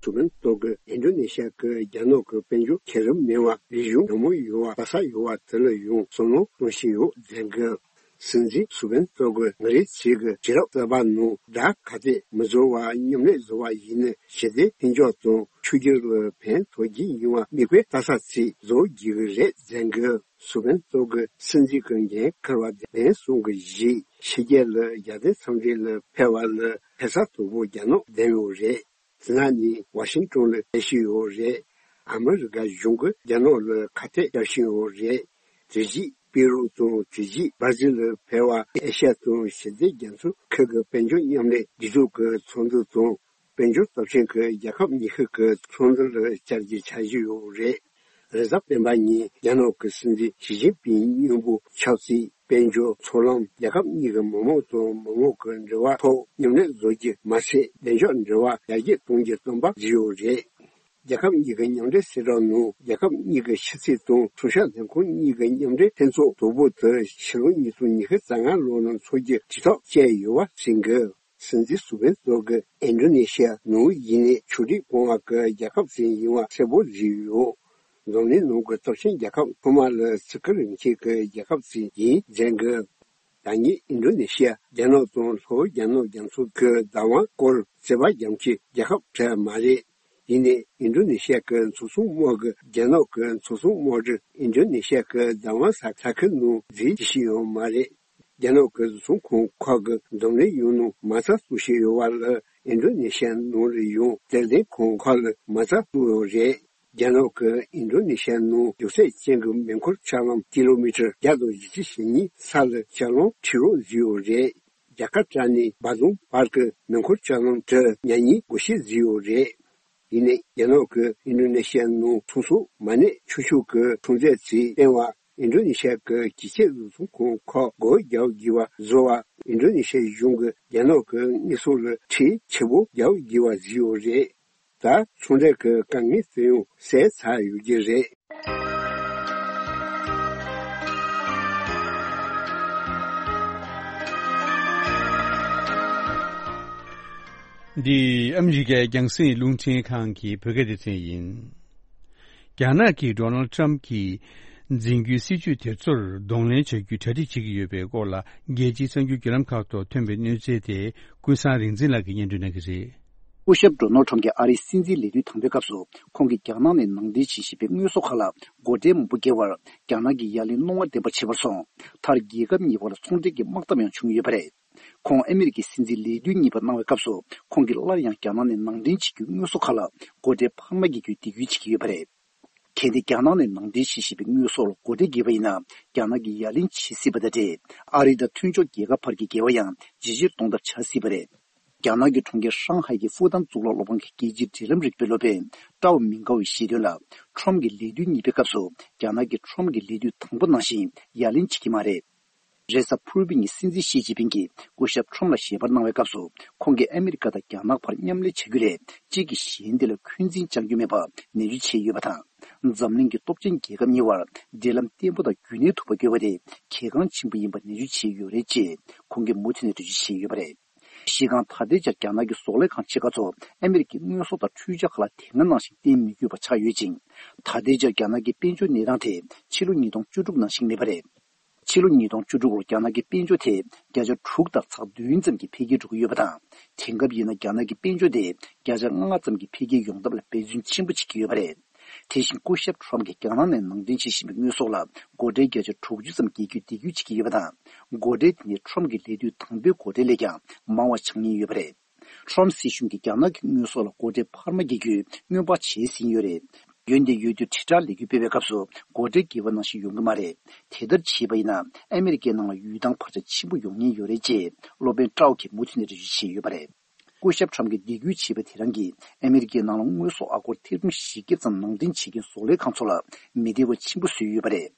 སུ་བན་ཏོག་གི་ཨིན་ཌོ་ནེ་ཤི་ཡ་གི་རྒྱ་ནག་གི་དཔལ་འབྱོར་ཁེ་རུབ་མེད་པ་རིག་གཞུང་ཉོན་མོངས་ཡོད་པ་ལྷ་ས་ཡོད་པ་དེ་ལ་ཡང་བསམ་བློ་གཏོང་བཞིན་ཡོད་ཟེར་གི། སྲིད་འཛིན་སུ་བན་ཏོག་གི་ང་རའི་ཆེད་ཀྱི་བྱེད་རབས་གསར་པ་ནང་དགྲ་ག་ཚད་མི་བཟོ་བ་མཉམ་ལས་བཟོ་བ་ཡིན་ན་ཞི་བདེ་མཐུན་སྦྱོར་དང་ཆོས་བརྒྱུད་ལ་ཕན་ཐོགས་ཀྱི་ཡིན་པ་མིག་དཔེ་ལྟ་ས་ཚིག་བཟོ་རྒྱུ་གི་རེད་ཟེར་གི། སུ་བན་ཏོག་གི་སྲིད་འཛིན་གྱི་འགན་འཁུར་བ་གདན་སོང་གི་གཞིས་ཕྱི་རྒྱལ་ལ་རྒྱལ་དོན་འཚམས་འདྲི་ལ་ཕེབས་པ་ལ་ཕེབས་ས་དོག་པོ་རྒྱ་ནག་བདམས་ཡོད་རེད། དེ་ནང་ནས་ཝ་ཤིང་ཊོན་ལ་ཕེབས་བཞིན་ཡོད་རེད། ཨ་མི་རི་ཀ་གཞུང་གིས་རྒྱ་ནག་ལ་ཁ་གཏད་བརྒྱབ་བཞིན་ཡོད་རེད། དེ་རྗེས་པེ་རུ་དང་དེ་རྗེས་སྦར་ཟིལ་ལ་ཕེབས་པ་ཨེ་ཤ་ཡ་དང་ཞི་བདེ་རྒྱ་མཚོའི་ཁུལ་གྱི་དཔལ་འབྱོར་མཉམ་ལས་སྒྲིག་འཛུགས་ཀྱི་ཚོགས་འདུ་དང་། དཔལ་འབྱོར་སྟོབས་ཆེན་གྱི་རྒྱལ་ཁབ་ཉི་ཤུ་གི་ཚོགས་འདུ་ལ་བཅར་རྒྱུའི་འཆར་གཞི་ཡོད་རེད། རེས་གཟའ་སྤེན་པ་ཉིན་རྒྱ་ནག་གི་སྲིད་འཛིན་ཞི་ཅིན་ཕིང་མཉམ་པོ་ཆབ་སྲིད། དཔལ་འབྱོར། མཚོ་ལམ། རྒྱལ་ཁབ་གཉིས་ཀྱི་མི་དམངས་དང་མི་དམངས་ཀྱི་འབྲེལ་བ་ཐོག་མཉམ་ལས་བཟོ་རྒྱུ་མ་ཟད། བདེ་འཇགས་འབྲེལ་བ་ཡར་རྒྱས་གཏོང་རྒྱུའི་བསམ་པ་བརྗོད་ཡོད་རེད། རྒྱལ་ཁབ་གཉིས་ཀྱི་མཉམ་འབྲེལ་གསལ་བསྒྲགས་ནང་། རྒྱལ་ཁབ་གཉིས་ཀྱི་ཕྱི་སྲིད་དང་མཚོན་ཆ་ལྷན་ཁང་གཉིས་ཀྱི་མཉམ་འབྲེལ་ལྷན་ཚོགས་དོག་པོ་དེ་ཕྱི་ལོ་ཉིས་སྟོང་ཉི་ཤུ་རྩ་ལྔ་ལོ་ནང་འཚོགས་རྒྱུའི་དྲིལ་བསྒྲགས་བྱས་ཡོད་པ་གསུངས་ཀྱི། སྲིད་འཛིན་སུ་བན་ཏོག་གིས་ཨིན་ཌོ་ནེ་ཤི་ཡ་ནང་ཡིན་ནའི་ཆོས་རིག་གོང་འོག་གི་རྒྱལ་ཁབ་ཅིག་ཡིན་པ་གསལ་པོ་བཟོས་ཡོད། འཛམ་གླིང་ནང་གི་སྟོབས་ཆེན་རྒྱལ་ཁབ་ཚང་མ་ལ་བརྩི་བཀུར་རིན་ཆེན་གྱི་རྒྱལ་ཁབ་ཅིག་ཡིན་ཟེར་གི། ད་ངས་ཨིན་ཌོ་ནེ་ཤི་ཡ་རྒྱ་ནག་དང་ལྷོ་རྒྱ་ནག་རྒྱ་མཚོ་གི་བདག་དབང་སྐོར་རྩོད་པ་རྒྱག་མཁན་རྒྱལ་ཁབ་གྲས་མ་རེད། ཡིན་ནའི་ཨིན་ཌོ་ནེ་ཤི་ཡ་གི་མཚོ་སྲུང་དམག་གིས་རྒྱ་ནག་གི་མཚོ་སྲུང་དམག་གྲུ་ཨིན་ཌོ་ནེ་ཤི་ཡ་གི་བདག་དབང་ས་ས་ཁུལ་ནང་འཛུལ་བྱེད་ཀྱི་ཡོད་མ་རེད། རྒྱ་ནག་གི་བཟོ་ཚོང་ཁང་ཁག་གིས་འཛམ་གླིང་ཡོངས་ནང་མ་རྩ་བཙུགས་བཞིན་ཡོད་པ་ལ། ཨིན་ཌོ་ནེ་ཤི་ཡ་ནང་ལ་ཡང་སྡེ་ཚན་ཁང་ཁག་ལ་མ་རྩ་བཙུགས་ཡོད་རེད། རྒྱ་ནག་གིས་ཨིན་ཌོ་ནེ་ཤི་ཡ་ནང་རྒྱུག་ཚད་ཅན་གྱི་མེ་འཁོར་ལྕགས་ལམ་ཀི་ལོ་མི་ཊར་བརྒྱ་དང་བཞི་བཅུ་ཞེ་གཉིས་ས་ལ་ལྕགས་ལམ་ཁྲིད་རོགས་བཟོས་ཡོད་རེད། རྒྱ་གར་རྩ་ནས་བཱ་དུམ་བར་གྱི་མེ་འཁོར་ལྕགས་ལམ་དེ་ཉག་གཉིས་སྒོ་ཕྱེ་བཟོས་ཡོད་རེད། ཡིན་ནའི་རྒྱ་ནག་གིས་ཨིན་ཌོ་ནེ་ཤི་ཡ་ནང་ཚོང་ཟོག་མ་གནས་ཆོག་ཆོག་གི་ཚོང་རྫས་ཅིག་བཏོན་པ། ཨིན་ཌོ་ནེ་ཤི་ཡ་གི་ཇེ་ཆེ་བཟོ་ཚོང་ཁང་ཁག་སྒོ་རྒྱག་དགོས་པ་བཟོ་བ། ཨིན་ཌོ་ནེ་ཤི་ཡའི་གཞུང་གིས་རྒྱ་ནག་གི་དངོས་ཟོག་ལ་ཁྲལ་ཆེ་པོ་རྒྱག་དགོས་པ་བཟོས་ཡོད་རེད། ད་ཚོང་འབྲེལ་གྱི་དཀའ་ངལ་དེ་ཡང་སེལ་ཚར་ཡོད་ཀྱི་རེད། འདི་ཨ་མི་རི་ཀའི་རྒྱང་སྲིང་རླུང་འཕྲིན་ཁང་གི་བོད་སྐད་སྡེ་ཚན་ཡིན། རྒྱ་ནག་གིས་ཌོ་ནལ་ཊམ་གྱི་འཛིན་རྒྱུའི་སྲིད་ཇུས་དེ་ཚོར་གདོང་ལེན་བྱ་རྒྱུའི་གྲ་སྒྲིག་བྱེད་ཀྱི་ཡོད་པའི་སྐོར་ལ། རྒྱལ་སྤྱིའི་གསར་འགྱུར་བརྒྱུད་ལམ་ཁག་ཐོག་ཐོན་པའི་གནས་ཚུལ་དེ་ཀུན་བཟང་རིག་འཛིན་ལགས་ཀྱིས་སྙན་སྒྲོན་གནང་གི་རེད། སྐུ་ཞབས་ཌོ་ནལ་ཊམ་གྱིས་ཨ་རིའི་སྲིད་འཛིན་ལས་དུས་དང་པོའི་སྐབས་སུ། ཁོང་གིས་རྒྱ་ནག་ནས་ནང་འདྲེན་བྱེད་བཞིན་པའི་དངོས་ཟོག་ཁག་ལ་སྒོ་ཁྲལ་མང་པོ་འགེལ་བར། རྒྱ་ནག་གིས་ཡ་ལན་རྣོ་བ་ལྡན་པ་བྱས་པར་སོང་། མཐར་རྒྱལ་ཁབ་གཉིས་བར་ཚོང་འབྲེལ་གྱི་དམག་འཐབ་ཡང་བྱུང་ཡོད་པ་རེད། ཁོང་ཨ་མི་རི་ཀའི་སྲིད་འཛིན་ལས་དུས་གཉིས་པ་གནང་བའི་སྐབས་སུ། ཁོང་གིས་སླར་ཡང་རྒྱ་ནག་ནས་ནང་འདྲེན་བྱེད་རྒྱུའི་དངོས་ཟོག་ཁག་ལ་སྒོ་ཁྲལ་འཕར་མ་འགེལ་རྒྱུའི་འདེད་སྐུལ་བྱེད་ཀྱི་ཡོད་པ་རེད། གལ་ཏེ་རྒྱ་ནག་ནས་ནང་འདྲེན་བྱེད་བཞིན་པའི་དངོས་ཟོག་ལ་སྒོ་ཁྲལ་འགེལ་བ་ཡིན་ན། རྒྱ་ནག་གིས་ཡ་ལན་བྱེད་སྲིད་པ་དང་འབྲེལ། ཨ་རི་དང་མཐུན་ཕྱོགས་རྒྱལ་ཁབ་བར་གྱི་འགལ་བ་ཡང་ཇེ་ཆེར་གཏོང་ཐབས་བྱ་སྲིད་པ་རེད། རྒྱ་ནག་གི་གྲོང་ཁྱེར་ཧྲང་ཧའེ་གི་ཧྥུ་ཏན་གཙུག་ལག་སློབ་ཁང་གི་རྒྱལ་སྤྱིའི་འབྲེལ་ལམ་རིག་པའི་སློབ་དཔོན་ཀྲའོ་མིང་ཀའོ་ཡིས་བཤད་དོན་ལ། ཁྲོམ་གྱི་ལས་དུས་གཉིས་པའི་སྐབས་སུ་རྒྱ་ནག་གིས་ཁྲོམ་གྱི་ལས་དུས་དང་པོ་ནང་བཞིན་ཡ་ལན་བྱེད་ཀྱི་མ་རེད། རེས་གཟའ་ཕུར་བུ་ཉིན་སྲིད་འཛིན་ཞི་ཅིན་ཕིང་གིས་སྐུ་ཞབས་ཁྲོམ་ལ་ཞལ་པར་གནང་བའི་སྐབས་སུ། ཁོང་གིས་ཨ་མི་རི་ཀ་དང་རྒྱ་ནག་བར་མཉམ་ལས་བྱ་རྒྱུ་ལས་གཅིག་གིས་གཞན་དེ་ལ་འཁོན་འཛིན་བཅང་རྒྱུ་མེད་པ་ནན་བརྗོད་བྱས་ཡོད་པ་དང་། འཛམ་གླིང་གི་སྟོབས་ཆེན་རྒྱལ་ཁབ་གཉིས་བར་འབྲེལ་ལམ་བརྟན་པོ་དང་རྒྱུན་གནས་ཐུབ་པ་དགོས་པ་དེ་གལ་འགངས་ཆེན་པོ་ཡིན་པ་ནན་བརྗོད་བྱས་ཡོད་རེད་ཅེས་ཁོང་གིས་མུ་མཐུད་ནས་འགྲེལ་བརྗོད་བྱས་ཡོད་པ་རེད། གཞི་རྐང་ད་ལྟའི་ཆར་རྒྱ་ནག་གི་ཟོག་ལས་ཁང་ཆེ་ཁག་ཚོ་ཨ་མི་རི་ཀའི་དངོས་ཟོག་དང་འཕྲུལ་ཆས་ཁག་ལ་དེ་སྔ་ནང་བཞིན་བརྟེན་མི་དགོས་པ་ཆགས་ཡོད་ཅིང་། ད་ལྟའི་ཆར་རྒྱ་ནག་གི་དཔལ་འབྱོར་གནས་སྟངས་དེ་ཕྱི་ལོ་ཉིས་སྟོང་བཅུ་དྲུག་ནང་བཞིན་མེད་པ་རེད། ཕྱི་ལོ་ཉིས་སྟོང་བཅུ་དྲུག་ལོར་རྒྱ་ནག་གི་དཔལ་འབྱོར་དེ་བརྒྱ་ཆ་དྲུག་དང་ཚེག་བདུན་ཙམ་གྱིས་འཕེལ་རྒྱས་འགྲོ་གི་ཡོད་པ་དང་། དེང་སྐབས་ཡིན་ན་རྒྱ་ནག་གི་དཔལ་འབྱོར་དེ་བརྒྱ་ཆ་ལྔ་ཙམ་གྱིས་འཕེལ་རྒྱས་ཡོང་ཐབས་ལ་འབད་བརྩོན་ཆེན་པོ་བྱེད་ཀྱི་ཡོད་པ་རེད། དེ་བཞིན་སྐུ་ཞབས་ཁྲོམ་གྱིས་རྒྱ་ནག་ནས་ནང་འདྲེན་བྱེད་བཞིན་པའི་དངོས་ཟོག་ལ་སྒོ་ཁྲལ་བརྒྱ་ཆ་དྲུག་ཅུ་ཙམ་འགེལ་རྒྱུའི་འདེད་སྐུལ་བྱེད་ཀྱི་ཡོད་པ་དང་། སྒོ་ཁྲལ་དེ་ནི་ཁྲོམ་གྱི་ལས་དུས་དང་པོའི་སྒོ་ཁྲལ་ལས་ཀྱང་མང་བ་ཆགས་ཉེན་ཡོད་པ་རེད། ཁྲོམ་སྲིད་གཞུང་གིས་རྒྱ་ནག་གི་དངོས་ཟོག་ལ་སྒོ་ཁྲལ་འཕར་མ་འགེལ་རྒྱུའི་སྔོན་དཔག་བྱས་ཟིན་ཡོད་རེད། འོན་ཏེ་ཡུལ་དུས་དྲིལ་བསྒྲགས་ལས་འགུལ་སྤེལ་བའི་སྐབས་སུ་སྒོ་ཁྲལ་འགེལ་བ་ནང་བཞིན་ཡོང་གི་མ་རེད། དེ་ལྟར་བྱས་པ་ཡིན་ན་ཨ་མི་རི་ཀའི་ནང་ལ་ཡུལ་ཐང་བར་ཆད་ཆེན་པོ་ཡོང་ཉེན་ཡོད་རེད་ཅེས་སློབ་དཔོན་ཀྲའོ་གིས་མུ་མཐུད་ནས་འགྲེལ་བརྗོད་བྱས་ཡོད་པ་རེད། སྐུ་ཞབས་ཁྲོམ་གྱིས་འདེད་སྐུལ་བྱས་པ་དེ་རང་གིས་ཨ་མི་རི་ཀའི་ནང་ལ་དངོས་ཟོག་ཨ་སྒོར་ཐེར་འབུམ་བཞི་བརྒྱ་ཙམ་ནང་འདྲེན་བྱེད་མཁན་ཟོག་ལས་ཁང་ཚོ་ལ་མི་བདེ་བ་ཆེན་པོ་བཟོས་ཡོད་པ་རེད།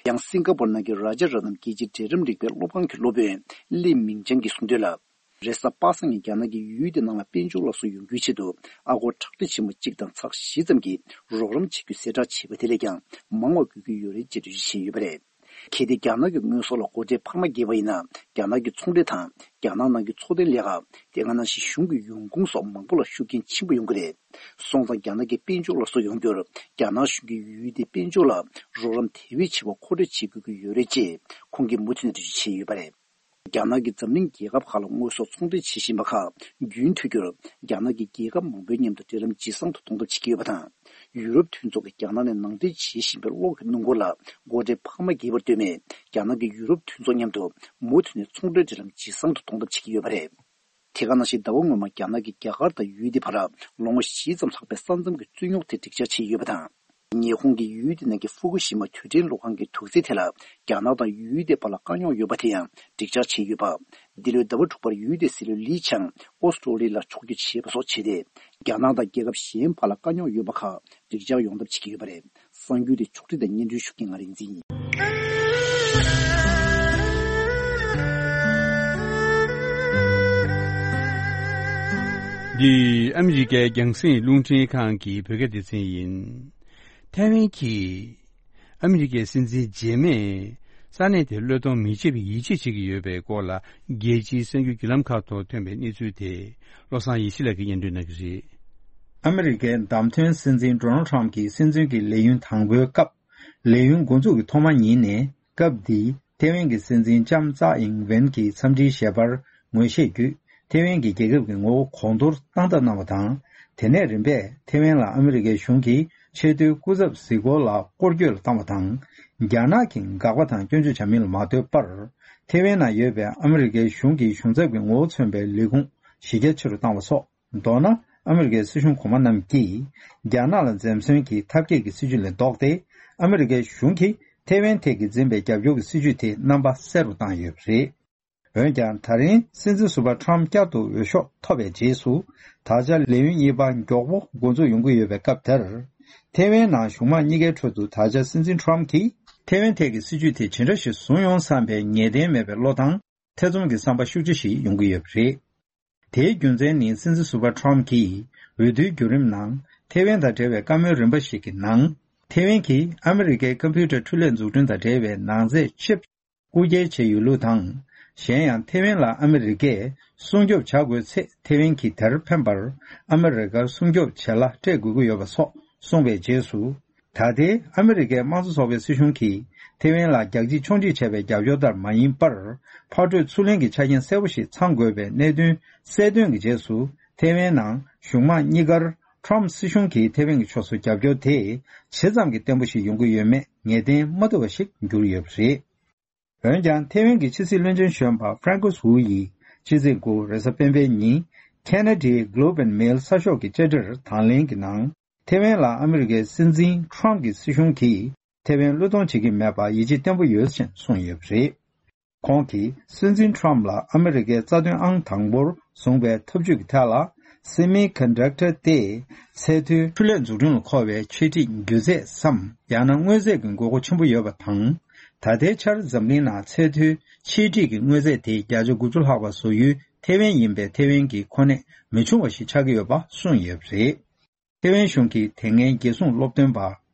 ཡང་སིང་ག་པོར་ནང་གི་རཱ་ཇ་ར་ཏན་རྒྱལ་སྤྱིའི་འབྲེལ་ལམ་རིག་པའི་སློབ་ཁང་གི་སློབ་དཔོན་ལི་མིང་ཅང་གིས་གསུངས་དོན་ལ། རེས་གཟའ་པ་སངས་ཉིན་རྒྱ་ནག་གིས་ཡུལ་དེ་ནང་ལ་དཔལ་འབྱོར་སླར་གསོ་ཡོང་རྒྱུའི་ཆེད་དུ་ཨ་སྒོར་ཁྲག་ཁྲིག་ཆེན་མོ་གཅིག་དང་ཚེག་བཞི་ཙམ་གྱི་རོགས་རམ་བྱེད་རྒྱུའི་གསལ་བསྒྲགས་བྱས་པ་དེ་ལས་ཀྱང་མང་བ་དགོས་ཀྱི་ཡོད་རེད་ཅེས་འགྲེལ་བརྗོད་བྱས་ཡོད་པ་རེད། གལ་ཏེ་རྒྱ་ནག་གི་དངོས་ཟོག་ལ་སྒོ་ཁྲལ་འཕར་མ་འགེལ་བ་ཡིན་ན། རྒྱ་ནག་གི་ཚོང་འབྲེལ་དང་། རྒྱ་ནག་ནང་གི་འཚོ་རྟེན་ལས་ཀ། དེ་སྔ་ནང་བཞིན་གཞུང་གི་ཡོང་ཁུངས་སོགས་མང་པོ་ལ་ཤུགས་རྐྱེན་ཆེན་པོ་ཡོང་གི་རེད། སོང་ཙང་རྒྱ་ནག་གི་དཔལ་འབྱོར་སླར་གསོ་ཡོང་རྒྱུར་རྒྱ་ནག་གཞུང་གིས་ཡུལ་དེའི་དཔལ་འབྱོར་ལ་རོགས་རམ་དེ་བས་ཆེ་བ་མཁོ་སྤྲོད་བྱེད་དགོས་ཀྱི་ཡོད་རེད་ཅེས་ཁོང་གིས་མུ་མཐུད་ནས་འགྲེལ་བརྗོད་བྱས་ཡོད་པ་རེད། རྒྱ་ནག་གིས་འཛམ་གླིང་རྒྱལ་ཁབ་ཁག་ལ་དངོས་ཟོག་ཚོང་འབྲེལ་བྱེད་བཞིན་པ་ཁག་རྒྱུན་མཐུད་རྒྱུར་རྒྱ་ནག་གིས་རྒྱལ་ཁབ་མང་པོའི་མཉམ་དུ་འབྲེལ་ལམ་ཇེ་བཟང་དུ་གཏོང་ཐབས་བྱེད་ཀྱི་ཡོད་པ་དང་། ཡུ་རོབ་མཐུན་ཚོགས་ཀྱིས་རྒྱ་ནག་ནས་ནང་འདྲེན་བྱེད་བཞིན་པའི་གློག་གི་སྣུམ་འཁོར་ལ་སྒོ་ཁྲལ་འཕར་མ་འགེལ་བར་ལྟོས་མེད། རྒྱ་ནག་གིས་ཡུ་རོབ་མཐུན་ཚོགས་མཉམ་དུ་མུ་མཐུད་ནས་ཚོང་འབྲེལ་འབྲེལ་ལམ་ཇེ་བཟང་དུ་གཏོང་ཐབས་བྱེད་ཀྱི་ཡོད་པ་རེད། དེ་ག་ནང་བཞིན་ཟླ་བ་སྔོན་མ་རྒྱ་ནག་གིས་རྒྱ་གར་དང་ཡུལ་དེའི་བར་ལོ་ངོ་བཞི་ཙམ་ལྷག་པའི་ས་མཚམས་ཀྱི་རྩོད་རྙོག་དེ་འགྲིག་འཆར་བྱས་ཡོད་པ་དང་། ཉི་ཧོང་གིས་ཡུལ་དེ་ནང་གི་ཧྥུ་ཀུ་ཤི་མ་དུས་དྲན་གློག་ཁང་གི་དུག་རྫས་དེ་ལ་རྒྱ་ནག་དང་ཡུལ་དེའི་བར་ལ་དཀའ་རྙོག་ཡོད་པ་དེ་ཡང་འགྲིག་འཆར་བྱས་ཡོད་པ། འདི་ལོའི་ཟླ་བ་དྲུག་པར་ཡུལ་དེའི་སྲིད་བློན་ལི་ཆང་ཨོ་སི་ཀྲོ་ལི་ལ་ཕྱོགས་བསྐྱོད་བྱས་པ་སོགས་བྱས་ཏེ། རྒྱ་ནག་དང་རྒྱལ་ཁབ་གཞན་བར་ལ་དཀའ་རྙོག་ཡོད་པ་ཁག་འགྲིག་འཆར་ཡོང་ཐབས་བྱེད་ཀྱི་ཡོད་པ་རེད། གསར་འགྱུར་དེ་ཕྱོགས་སྒྲིག་དང་སྙན་སྒྲོན་ཞུ་མཁན་ང་རིག་འཛིན་ཡིན། འདི་ཨ་མི་རི་ཀའི་རྒྱང་སྲིང་རླུང་འཕྲིན་ཁང་གི་བོད་སྐད་སྡེ་ཚན་ཡིན། ཐའེ་ཝན་གྱིས་ཨ་མི་རི་ཀའི་སྲིད་འཛིན་རྗེས་མས་ས་གནས་དེར་བློས་གཏོང་མི་བྱེད་པའི་ཡིད་ཆེས་བྱེད་ཀྱི་ཡོད་པའི་སྐོར་ལ། རྒྱལ་སྤྱིའི་གསར་འགྱུར་བརྒྱུད་ལམ་ཁག་ཐོག་ཐོན་པའི་གནས་ཚུལ་དེ། བློ་བཟང་ཡེ་ཤེས་ལགས་ཀྱིས་སྙན་སྒྲོན་གནང་གི་རེད། ཨ་མི་རི་ཀའི་བདམས་ཐོན་སྲིད་འཛིན་ཌོ་ནལ་ཁྲམ་གྱི་སྲིད་འཛིན་གྱི་ལས་ཡུན་དང་པོའི་སྐབས། ལས་ཡུན་འགོ་འཛུགས་ཀྱི་ཐོག་མ་ཉིན་ནས་སྐབས་འདིའི་ཐེ་ཝན་གྱི་སྲིད་འཛིན་ལྕམ་ཙའེ་ཨིང་ཝེན་གྱི་འཚམས་འདྲིའི་ཞལ་པར་ངོས་བཞེས་བརྒྱུད། ཐེ་ཝན་གྱི་རྒྱལ་ཁབ་ཀྱི་ངོ་བོ་གོང་མཐོར་བཏང་ཐབས་གནང་བ་དང་། དེ་ནས་རིམ་པས་ཐེ་ཝན་ལ་ཨ་མི་རི་ཀའི་གཞུང་གིས་ཆེས་མཐོའི་སྐུ་ཚབ་གཟིགས་སྐོར་ལ་སྐོར་སྐྱོད་ལ་བཏང་བ་དང་། རྒྱ་ནག་གིས་དགག་པ་དང་སྐྱོན་བརྗོད་བྱ་མིན་ལ་མ་ལྟོས་པར། ཐེ་ཝན་ནང་ཡོད་པའི་ཨ་མི་རི་ཀའི་གཞུང་གི་གཞུང་ཚབ་ཀྱི་ངོ་བོ་མཚོན་པའི་ལས་ཁུངས་གཞི་རྒྱ་ཆེ་རུ་བཏང་བ་སོགས། མདོར་ན། ཨ་མི་རི་ཀའི་སྲིད་གཞུང་གོང་མ་རྣམས་ཀྱིས། རྒྱ་ནག་ལ་འཛེམ་ཟོན་གྱི་ཐབས་མཁས་ཀྱི་སྲིད་ཇུས་ལས་ལྡོག་སྟེ། ཨ་མི་རི་ཀའི་གཞུང་གིས་ཐེ་ཝན་ཐད་ཀྱི་འཛིན་པའི་རྒྱབ་སྐྱོར་གྱི་སྲིད་ཇུས་དེ་རྣམ་པ་གསལ་རུ་བཏང་ཡོད་པ་རེད། འོན་ཀྱང་། ད་རིང་སྲིད་འཛིན་ཟུར་པ་ཁྲམ་བསྐྱར་དུ་འོས་ཤོག་ཐོབ་པའི་རྗེས་སུ། ད་ཆ་ལས་ཡུན་གཉིས་པ་མགྱོགས་པོ་འགོ་འཛུགས་ཡོང་གི་ཡོད་པའི་སྐབས་དེར། ཐེ་ཝན་ནང་གཞུང་མང་གཉིས་ཀའི་ཁྲོད་དུ། ད་ཆ་སྲིད་འཛིན་ཁྲམ་གྱིས་ཐེ་ཝན་ཐད་ཀྱི་སྲིད་ཇུས་དེ་ཇི་འདྲ་ཞིག་བཟུང་ཡོང་བསམ་པའི་ངེས་གཏན་མེད་པའི་བློ་དང་། ཐེ་ཚོམ་གྱི་བསམ་པ་ཤུགས་ཆེ་ཞིག་ཡོང་གི་ཡོད་པ་རེད། དེའི་རྒྱུ་མཚན་ནི། སྲིད་འཛིན་ཟུར་པ་ཁྲམ་གྱིས་འོས་བསྡུའི་བརྒྱུད་རིམ་ནང་། ཐེ་ཝན་དང་འབྲེལ་བའི་བཀའ་མོལ་རིམ་པ་ཞིག་གི་ནང་། ཐེ་ཝན་གྱིས་ཨ་མི་རི་ཀའི་ཀམ་པུ་ཊར་འཕྲུལ་ལས་འཛུགས་སྐྲུན་དང་འབྲེལ་བའི་ནང་རྫས་ཆིབ་རྐུ་འཁྱེར་བྱས་ཡོད་ལུགས་དང་། གཞན་ཡང་། ཐེ་ཝན་ལ་ཨ་མི་རི་ཀས་སྲུང་སྐྱོབ་བྱ་དགོས་ཚེ། ཐེ་ཝན་གྱིས་དེར་ཕན་པར་ཨ་མི་རི་ཀར་སྲུང་སྐྱོབ་བྱེད་གླ་སྤྲད་དགོས་ཀྱི་ཡོད་པ་སོགས་གསུངས་པའི་རྗེས་སུ། ད་ལྟའི་ཨ་མི་རི་ཀའི་དམངས་གཙོ་ཚོགས་པའི་སྲིད་གཞུང་གིས་ཐེ་ཝན་ལ་རྒྱག་ཕྱིར་མཆོང་སྒྲིག་བྱས་པའི་རྒྱབ་སྐྱོར་ལྟར་མ་ཡིན་པར། ཕར་སྤྲོད་ཚུར་ལེན་གྱི་ཆ་རྐྱེན་གསལ་པོ་ཞིག་ཚང་དགོས་པའི་གནད་དོན་གསལ་སྟོན་གྱི་རྗེས་སུ། ཐེ་ཝན་ནང་གཞུང་མང་གཉིས་ཀར་ཁྲོམ་སྲིད་གཞུང་གིས་ཐེ་ཝན་གྱི་ཕྱོགས་སུ་རྒྱབ་སྐྱོར་དེ་ཇི་ཙམ་གྱིས་བརྟན་པོ་ཞིག་ཡོང་གི་ཡོད་མེད་ངེས་གཏན་མ་ཐུབ་པ་ཞིག་གྱུར་ཡོད་པ་རེད། འོན་ཀྱང་། ཐེ་ཝན་གྱི་ཕྱི་སྲིད་བློན་ཆེན་གཞོན་པ་ཧྥ་རན་ཀུས་ཝུའུ་ཡིས་ཕྱི་ཚེས་དགུ་རེས་གཟའ་སྤེན་པའི་ཉིན། ཁེ་ན་ཌའི་Globe and Mail གསར་ཤོག་གི་དཔྱ་ཁྲལ་དང་ལེན་གྱི་ནང་། ཐེ་ཝན་ལ་ཨ་མི་རི་ཀའི་སྲིད་འཛིན་ཁྲོམ་གྱི་སྲིད་གཞུང་གིས་ཐེ་ཝན་བློས་གཏོང་བྱེད་ཀྱི་མེད་པར་ཡིད་ཆེས་བརྟན་པོ་ཡོད་ཅེས་གསུངས་ཡོད་པ་རེད། ཁོང་གིས་སྲིད་འཛིན་ཁྲོམ་ལ་ཨ་མི་རི་ཀའི་རྩ་དོན་ཨང་དང་པོར་བཟུང་བའི་འཐབ་ཇུས་ཀྱི་ཐད་ལ། སེ་མི་ཀོན་ཌག་ཊར་སྟེ། ཚད་མཐོའི་འཕྲུལ་ལས་འཛུགས་སྐྲུན་ལ་མཁོ་བའི་ཆས་འགྲིག་རྒྱུ་ཚད་སམ། ཡང་ན་དངོས་རྫས་ཀྱི་དགོས་མཁོ་ཆེན་པོ་ཡོད་པ་དང་། ད་ལྟའི་ཆར་འཛམ་གླིང་ནང་ཚད་མཐོའི་ཆས་འགྲིག་གི་དངོས་རྫས་དེ་བརྒྱ་ཆ་དགུ་བཅུ་ལྷག་པ་བཟོ་ཡུལ་ཐེ་ཝན་ཡིན་པས། ཐེ་ཝན་གྱི་གོ་གནས་མི་ཆུང་བ་ཞིག་ཆགས་ཀྱི་ཡོད་པ་གསུངས་ཡོད་པ་རེད། ཐེ་ཝན་གཞུང་གི་དེ་སྔའི་རྒྱལ་སྲུང་སློབ་སྟོན་པ་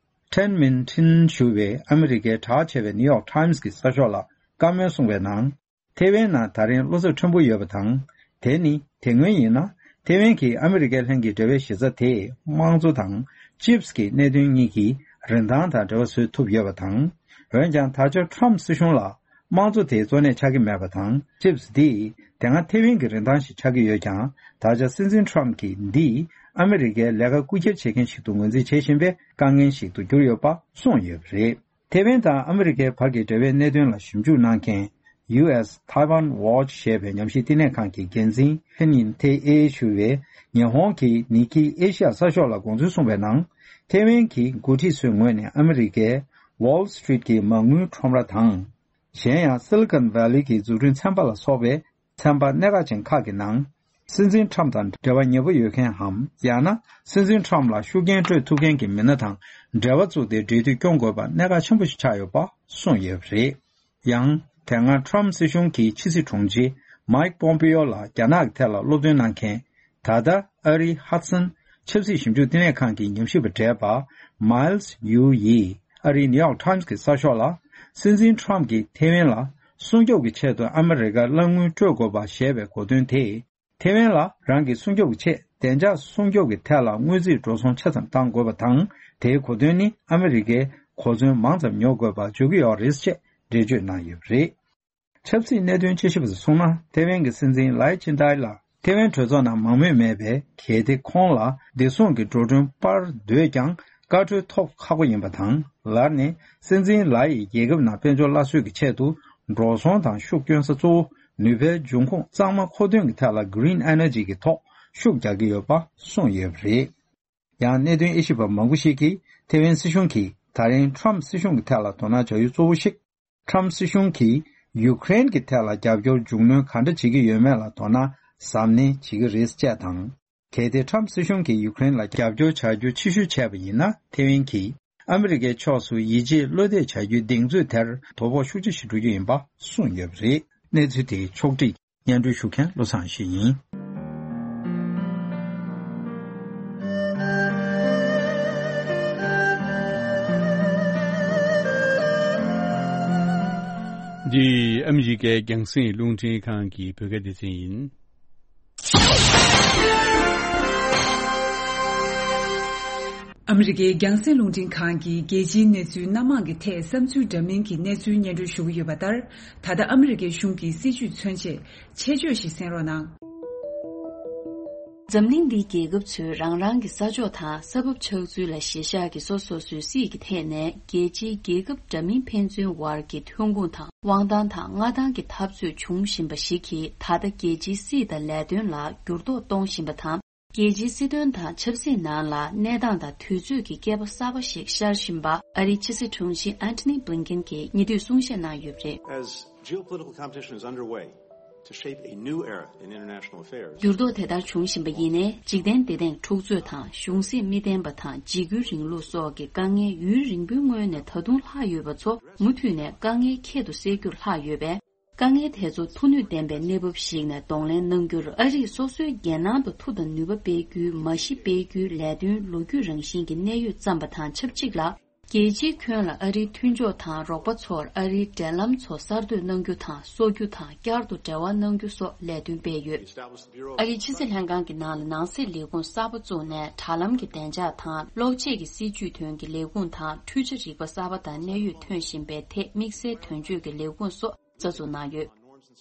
ཊེན་མིན་ཊིན་ཞུ་བས་ཨ་མི་རི་ཀའི་གྲགས་ཆེ་བའི་ནིའུ་ཡོག་ཊའིམ་སི་གི་གསར་ཤོག་ལ་བཀའ་མོལ་གསུངས་པའི་ནང་། ཐེ་ཝན་ནང་ད་རིང་བློ་འཚབ་ཕྲན་བུ་ཡོད་པ་དང་། དེ་ནི་དེ་སྔོན་ཡིན་ན་ཐེ་ཝན་གྱིས་ཨ་མི་རི་ཀའི་ལྷན་གྱི་འབྲེལ་བའི་གཞི་རྩ་དེ་དམངས་གཙོ་དང་ཅིབ་སི་གི་གནད་དོན་གཉིས་ཀྱི་རིན་ཐང་དང་འབྲེལ་བ་བཟོས་ཐུབ་ཡོད་པ་དང་། འོན་ཀྱང་ད་ཆ་ཁྲོམ་སྲིད་གཞུང་ལ། དམངས་གཙོ་དེ་གཙོ་གནད་ཆགས་ཀྱི་མེད་པ་དང་། ཅིབ་སི་འདི་དེ་སྔ་ཐེ་ཝན་གྱི་རིན་ཐང་ཞིག་ཆགས་ཀྱི་ཡོད་ཀྱང་། ད་ཆ་སྲིད་འཛིན་ཁྲོམ་གྱིས་འདི་ཨ་མི་རི་ཀའི་ལས་ཀ་རྐུ་འཁྱེར་བྱེད་མཁན་ཞིག་ཏུ་ངོས་འཛིན་བྱེད་བཞིན་པའི་དཀའ་ངལ་ཞིག་ཏུ་གྱུར་ཡོད་པ་གསུངས་ཡོད་པ་རེད། ཐེ་ཝན་དང་ཨ་མི་རི་ཀའི་བར་གྱི་འབྲེལ་བའི་གནད་དོན་ལ་ཞིབ་འཇུག་གནང་མཁན་ཡུ་ཨེས་ཐའེ་ཝན་ཝོ་ཆི་ཞེས་པའི་ཉམས་ཞིབ་བསྟི་གནས་ཁང་གི་འགན་འཛིན་ཧེན་ཡིན་ཐེ་ཨེ་ཞུ་བས་ཉི་ཧོང་གི་ནི་ཀི་ཨེ་ཤི་ཡ་གསར་ཤོག་ལ་དགོངས་ཚུལ་གསུངས་པའི་ནང་། ཐེ་ཝན་གྱི་འགོ་ཁྲིད་ཚོའི་ངོས་ནས་ཨ་མི་རི་ཀའི་ཝོལ་སི་ཊི་རིཊ་གྱི་མ་དངུལ་ཁྲོམ་ར་དང་། གཞན་ཡང་སི་ལི་ཀོན་ཝེ་ལི་གི་འཛུགས་སྐྲུན་ཚན་པ་ལ་སོགས་པའི་ཚན་པ་གནད་འགག་ཅན་ཁག་གི་ནང་། སྲིད་འཛིན་ཁྲམ་དང་འབྲེལ་བ་ཉེ་པོ་ཡོད་མཁན་འམ། ཡང་ན་སྲིད་འཛིན་ཁྲམ་ལ་ཤུགས་རྐྱེན་སྤྲོད་ཐུབ་མཁན་གྱི་མི་སྣ་དང་འབྲེལ་བ་བཙུགས་ཏེ་འབྲེལ་མཐུད་སྐྱོང་དགོས་པ་གནད་འགག་ཆེན་པོ་ཞིག་ཆགས་ཡོད་པ་གསུངས་ཡོད་པ་རེད། ཡང་། དེ་སྔ་ཁྲམ་སྲིད་གཞུང་གི་ཕྱི་སྲིད་དྲུང་ཆེ་མའིག་པོམ་པེ་ཡོ་ལ་རྒྱ་ནག་གི་ཐད་ལ་སློབ་སྟོན་གནང་མཁན། ད་ལྟ་ཨ་རིའི་ཧ་ཌི་སན་ཆབ་སྲིད་ཞིབ་འཇུག་བསྟི་གནས་ཁང་གི་ཉམས་ཞིབ་པ་བགྲེས་པ་མཱིལ་ཡུའུ་ཡིས་ཨ་རིའི་ནིའུ་ཡོག་ཊའིམ་སི་གི་གསར་ཤོག་ལ། སྲིད་འཛིན་ཁྲོམ་གྱིས་ཐེ་ཝན་ལ་སྲུང་སྐྱོབ་ཀྱི་ཆེད་དུ་ཨ་མི་རི་ཀར་རླབས་དངུལ་སྤྲོད་དགོས་པ་ཞེས་པའི་གོ་དོན་དེས། ཐེ་ཝན་ལ་རང་གི་སྲུང་སྐྱོབ་ཀྱི་ཆེད་བདེ་འཇགས་སྲུང་སྐྱོབ་ཀྱི་ཐད་ལ་དངུལ་རྩིས་འགྲོ་སོང་ཆ་ཙམ་གཏང་དགོས་པ་དང་། དེའི་གོ་དོན་ནི་ཨ་མི་རི་ཀས་གོ་མཚོན་མང་ཙམ་ཉོ་དགོས་པར་འཇུག་གི་ཡོད་རེད་ཅེས་འགྲེལ་བརྗོད་གནང་ཡོད་པ་རེད། ཆབ་སྲིད་གནད་དོན་དཔྱད་ཞིབ་པ་ཚོས་གསུངས་ན། ཐེ་ཝན་གྱི་སྲིད་འཛིན་ལའི་ཆིན་ཏའེ་ལ་ཐེ་ཝན་གྲོས་ཚོགས་ནང་མང་མོས་མེད་པས། གལ་ཏེ་ཁོང་ལ་བདེ་སྲུང་གི་འགྲོ་གྲོན་སྤར་འདོད་ཀྱང་། བཀའ་འཁྲོལ་ཐོབ་ཁག་པོ་ཡིན་པ་དང་། ལར་ནས་སྲིད་འཛིན་ལའི་ཡིས་རྒྱལ་ཁབ་ནང་དཔལ་འབྱོར་སླར་གསོའི་གི་ཆེད་དུ་འགྲོ་སོང་དང་ཤུགས་སྐྱོན་ས་གཙོ་བོ་ནུས་པའི་འབྱུང་ཁུངས་གཙང་མ་མཁོ་འདོན་གྱི་ཐད་ལ་གྷི་རིན་ཨེ་ནར་ཇི་གི་ཐོག་ཤུགས་རྒྱག་གི་ཡོད་པ་གསུངས་ཡོད་པ་རེད། ཡང་གནད་དོན་དབྱེ་ཞིབ་པ་མང་པོ་ཞིག་གིས་ཐེ་ཝན་སྲིད་གཞུང་གིས་ད་རིང་ཁྲམ་སྲིད་གཞུང་གི་ཐད་ལ་དོ་སྣང་བྱ་ཡུལ་གཙོ་བོ་ཞིག་ཁྲམ་སྲིད་གཞུང་གིས་ཡུ་ཀེ་རེན་གྱི་ཐད་ལ་རྒྱབ་སྐྱོར་མཇུག་སྣོན་ག་འདྲ་བྱེད་ཀྱི་ཡོད་མེད་ལ་དོ་སྣང་གཟབ་ནན་བྱེད་ཀྱི་རེད་ཅེས་དང་། གལ་ཏེ་ཁྲམ་སྲིད་གཞུང་གིས་ཡུ་ཀེ་རེན་ལ་རྒྱབ་སྐྱོར་བྱ་རྒྱུ་ཕྱིར་བཤོལ་བྱས་པ་ཡིན་ན། ཐེ་ཝན་གྱིས་ཨ་མི་རི་ཀའི་ཕྱོགས་སུ་ཡིད་ཆེས་བློ་གཏད་བྱ་རྒྱུའི་གདེང་ཚོད་དེར་དོ་ཕོག་ཤུགས་ཆེ་ཞིག་འགྲོ་རྒྱུ་ཡིན་པ་གསུངས་ཡོད་པ་རེད། གནས་ཚུལ་དེའི་ཕྱོགས་བསྒྲིགས་སྙན་སྒྲོན་ཞུ་མཁན་བློ་བཟང་ཡེ་ཤེས་ཡིན། འདི་ཨ་མི་རི་ཀའི་རྒྱང་སྲིང་རླུང་འཕྲིན་ཁང་གི་བོད་སྐད་སྡེ་ཚན་ཡིན། ཨ་མི་རི་ཀའི་རྒྱང་སྲིང་རླུང་འཕྲིན་ཁང་གིས་རྒྱལ་སྤྱིའི་གནས་ཚུལ་སྣ་མང་གི་ཐད་བསམ་ཚུལ་འདྲ་མིན་གྱི་གནས་ཚུལ་སྙན་སྒྲོན་ཞུ་གི་ཡོད་པ་ལྟར། ད་ལྟ་ཨ་མི་རི་ཀའི་གཞུང་གི་སྲིད་བྱུས་མཚོན་ཆེད་ཆེད་བརྗོད་ཞིག་གསན་རོགས་གནང་། འཛམ་གླིང་འདིའི་རྒྱལ་ཁབ་ཚོས་རང་རང་གི་ས་ཕྱོགས་དང་ས་བབ་ཆགས་ཚུལ་ལ་གཞི་བཞག་གིས་སོ་སོ་སོའི་སྲིད་ཀྱི་ཐད་ནས་རྒྱལ་སྤྱིའི་རྒྱལ་ཁབ་འདྲ་མིན་ཕན་ཚུན་དབར་གྱི་ཐོན་ཁུངས་དང་དབང་ཐང་དང་མངའ་ཐང་གི་འཐབ་རྩོད་འབྱུང་བཞིན་པ་ཞིག་གིས། ད་ལྟ་རྒྱལ་སྤྱིའི་སྲིད་དང་ལས་དོན་ལ་འགྱུར་ལྡོག་གཏོང་བཞིན་པ་དང་། རྒྱལ་སྤྱིའི་སྲིད་དོན་དང་ཆབ་སྲིད་ནང་ལ་གནས་སྟངས་དང་དུས་ཚོད་ཀྱི་བསྐལ་པ་གསར་པ་ཞིག་ཤར་བཞིན་པ། ཨ་རིའི་ཕྱི་སྲིད་དྲུང་ཆེ་ཨན་ཐོ་ནི་བྷི་ལིན་ཀེན་གྱིས་ཉེ་དུས་གསུང་བཤད་གནང་ཡོད་པ་རེད། As geopolitical competition is underway to shape a new era in international affairs, འགྱུར་ལྡོག་དེ་ལྟར་བྱུང་བཞིན་པ་ཡིན་ནའི། འཇིག་རྟེན་བདེ་ཐང་འཁྲུག་རྩོད་དང་གཞུང་སྲིད་མི་བརྟན་པ་དང་འཇིགས་སྐུལ་རིང་ལུགས་སོགས་ཀྱི་དཀའ་ངལ་ཡུན་རིང་པོའི་སྔོན་ནས་ད་དུང་ལྷག་ཡོད་པ་ཚོ། མུ་མཐུད་ནས་དཀའ་ངལ་ཁྱད་དུ་བསད་རྒྱུར་ལྷག་ཡོད་པས། དཀའ་ངལ་དེ་ཚོ་མཐུ་ནུས་ལྡན་པའི་གནས་བབ་ཞིག་ནས་གདོང་ལེན་གནང་རྒྱུར། ཨ་རིས་སོ་སོའི་རྒྱལ་ནང་དུ་མཐུ་དང་ནུས་པ་སྤེལ་རྒྱུའི་མ་གཞི་སྤེལ་རྒྱུའི་ལས་དོན་ལོ་རྒྱུས་རང་བཞིན་གྱི་གནད་ཡོད་བརྩམས་པ་དང་ཆབས་ཅིག་ལ། རྒྱལ་སྤྱིའི་ཁྱོན་ལ་ཨ་རིའི་མཐུན་ཕྱོགས་དང་རོགས་པ་ཚོར་ཨ་རིའི་འབྲེལ་ལམ་ཚོ་གསར་གཏོད་གནང་རྒྱུ་དང་། གསོ་རྒྱུ་དང་། བསྐྱར་དུ་འབྲེལ་བ་གནང་རྒྱུ་སོགས་ལས་དོན་སྤེལ་ཡོད། ཨ་རིའི་ཕྱི་སྲིད་ལྷན་ཁང་གི་ནང་ལ་ནང་སྲིད་ལས་ཁུངས་གསར་པ་བཙུགས་ནས། དྲ་ལམ་གྱི་བདེ་འཇགས་དང་། གློག་ཆས་ཀྱི་སྲིད་ཇུས་དོན་གྱི་ལས་ཁུངས་དང་། འཕྲུལ་ཆས་རིག་པ་གསར་པ་དང་གནད་ཡོད་ཐོན་བཞིན་པའི་ཐད་དམིགས་བསལ་དོན་གཅོད་ཀྱི་ལས་ཁུངས་སོགས་རྩ་འཛུགས་གནང་ཡོད།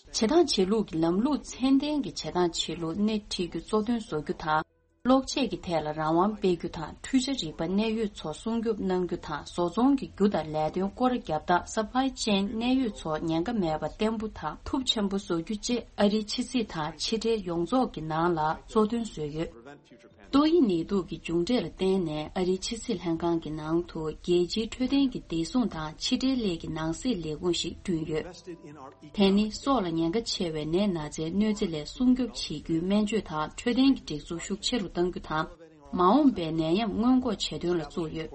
བྱེད་སྟངས་བྱེད་ལུགས་ཀྱི་ལམ་ལུགས་ཚད་ལྡན་གྱི་བྱེད་སྟངས་བྱེད་ལུགས་སྣེ་ཁྲིད་རྒྱུ་གཙོ་དོན་བཟོ་རྒྱུ་དང་། གློག་ཆས་ཀྱི་ཐད་ལ་རང་དབང་སྤེལ་རྒྱུ་དང་། འཕྲུལ་ཆས་རིག་པ་གནད་ཡོད་ཚོ་སྲུང་སྐྱོབ་གནང་རྒྱུ་དང་། བཟོ་ཚོང་གི་རྒྱུ་དང་ལས་དོན་སྐོར་ར་རྒྱག་སྟངས་supply chain གནད་ཡོད་ཚོ་ཉེན་ཁ་མེད་པ་བརྟན་པོ་དང་ཐུབ་ཆེན་པོ་བཟོ་རྒྱུ་བཅས་ཨ་རིའི་ཕྱི་སྲིད་དང་ཕྱི་འབྲེལ་ཡོངས་རྫོགས་ཀྱི་ནང་ལ་གཙོ་དོན་བཟོས་ཡོད། ཏོག་དབྱིབས་ནད་དུག་གི་མཇུག་འབྲས་ལ་བརྟེན་ནས་ཨ་རིའི་ཕྱི་སྲིད་ལྷན་ཁང་གི་ནང་དུ་རྒྱལ་སྤྱིའི་འཕྲོད་བསྟེན་གྱི་བདེ་སྲུང་དང་ཕྱི་འབྲེལ་སླད་ཀྱི་ནང་སྲིད་ལས་ཁུངས་ཤིག་བསྐྲུན་ཡོད། དེ་ནི་སྲོག་ལ་ཉེན་ཁ་ཆེ་བའི་ནད་ན་ཚའི་གནོད་འཚེ་ལས་སྲུང་སྐྱོབ་བྱེད་རྒྱུའི་སྨན་བཅོས་དང་འཕྲོད་བསྟེན་གྱི་སྒྲིག་འཛུགས་ཤུགས་ཆེ་རུ་གཏང་རྒྱུ་དང་། མ་འོངས་པའི་ནད་ཡམས་སྔོན་འགོག་བྱེད་དོན་ལ་བཙུགས་ཡོད།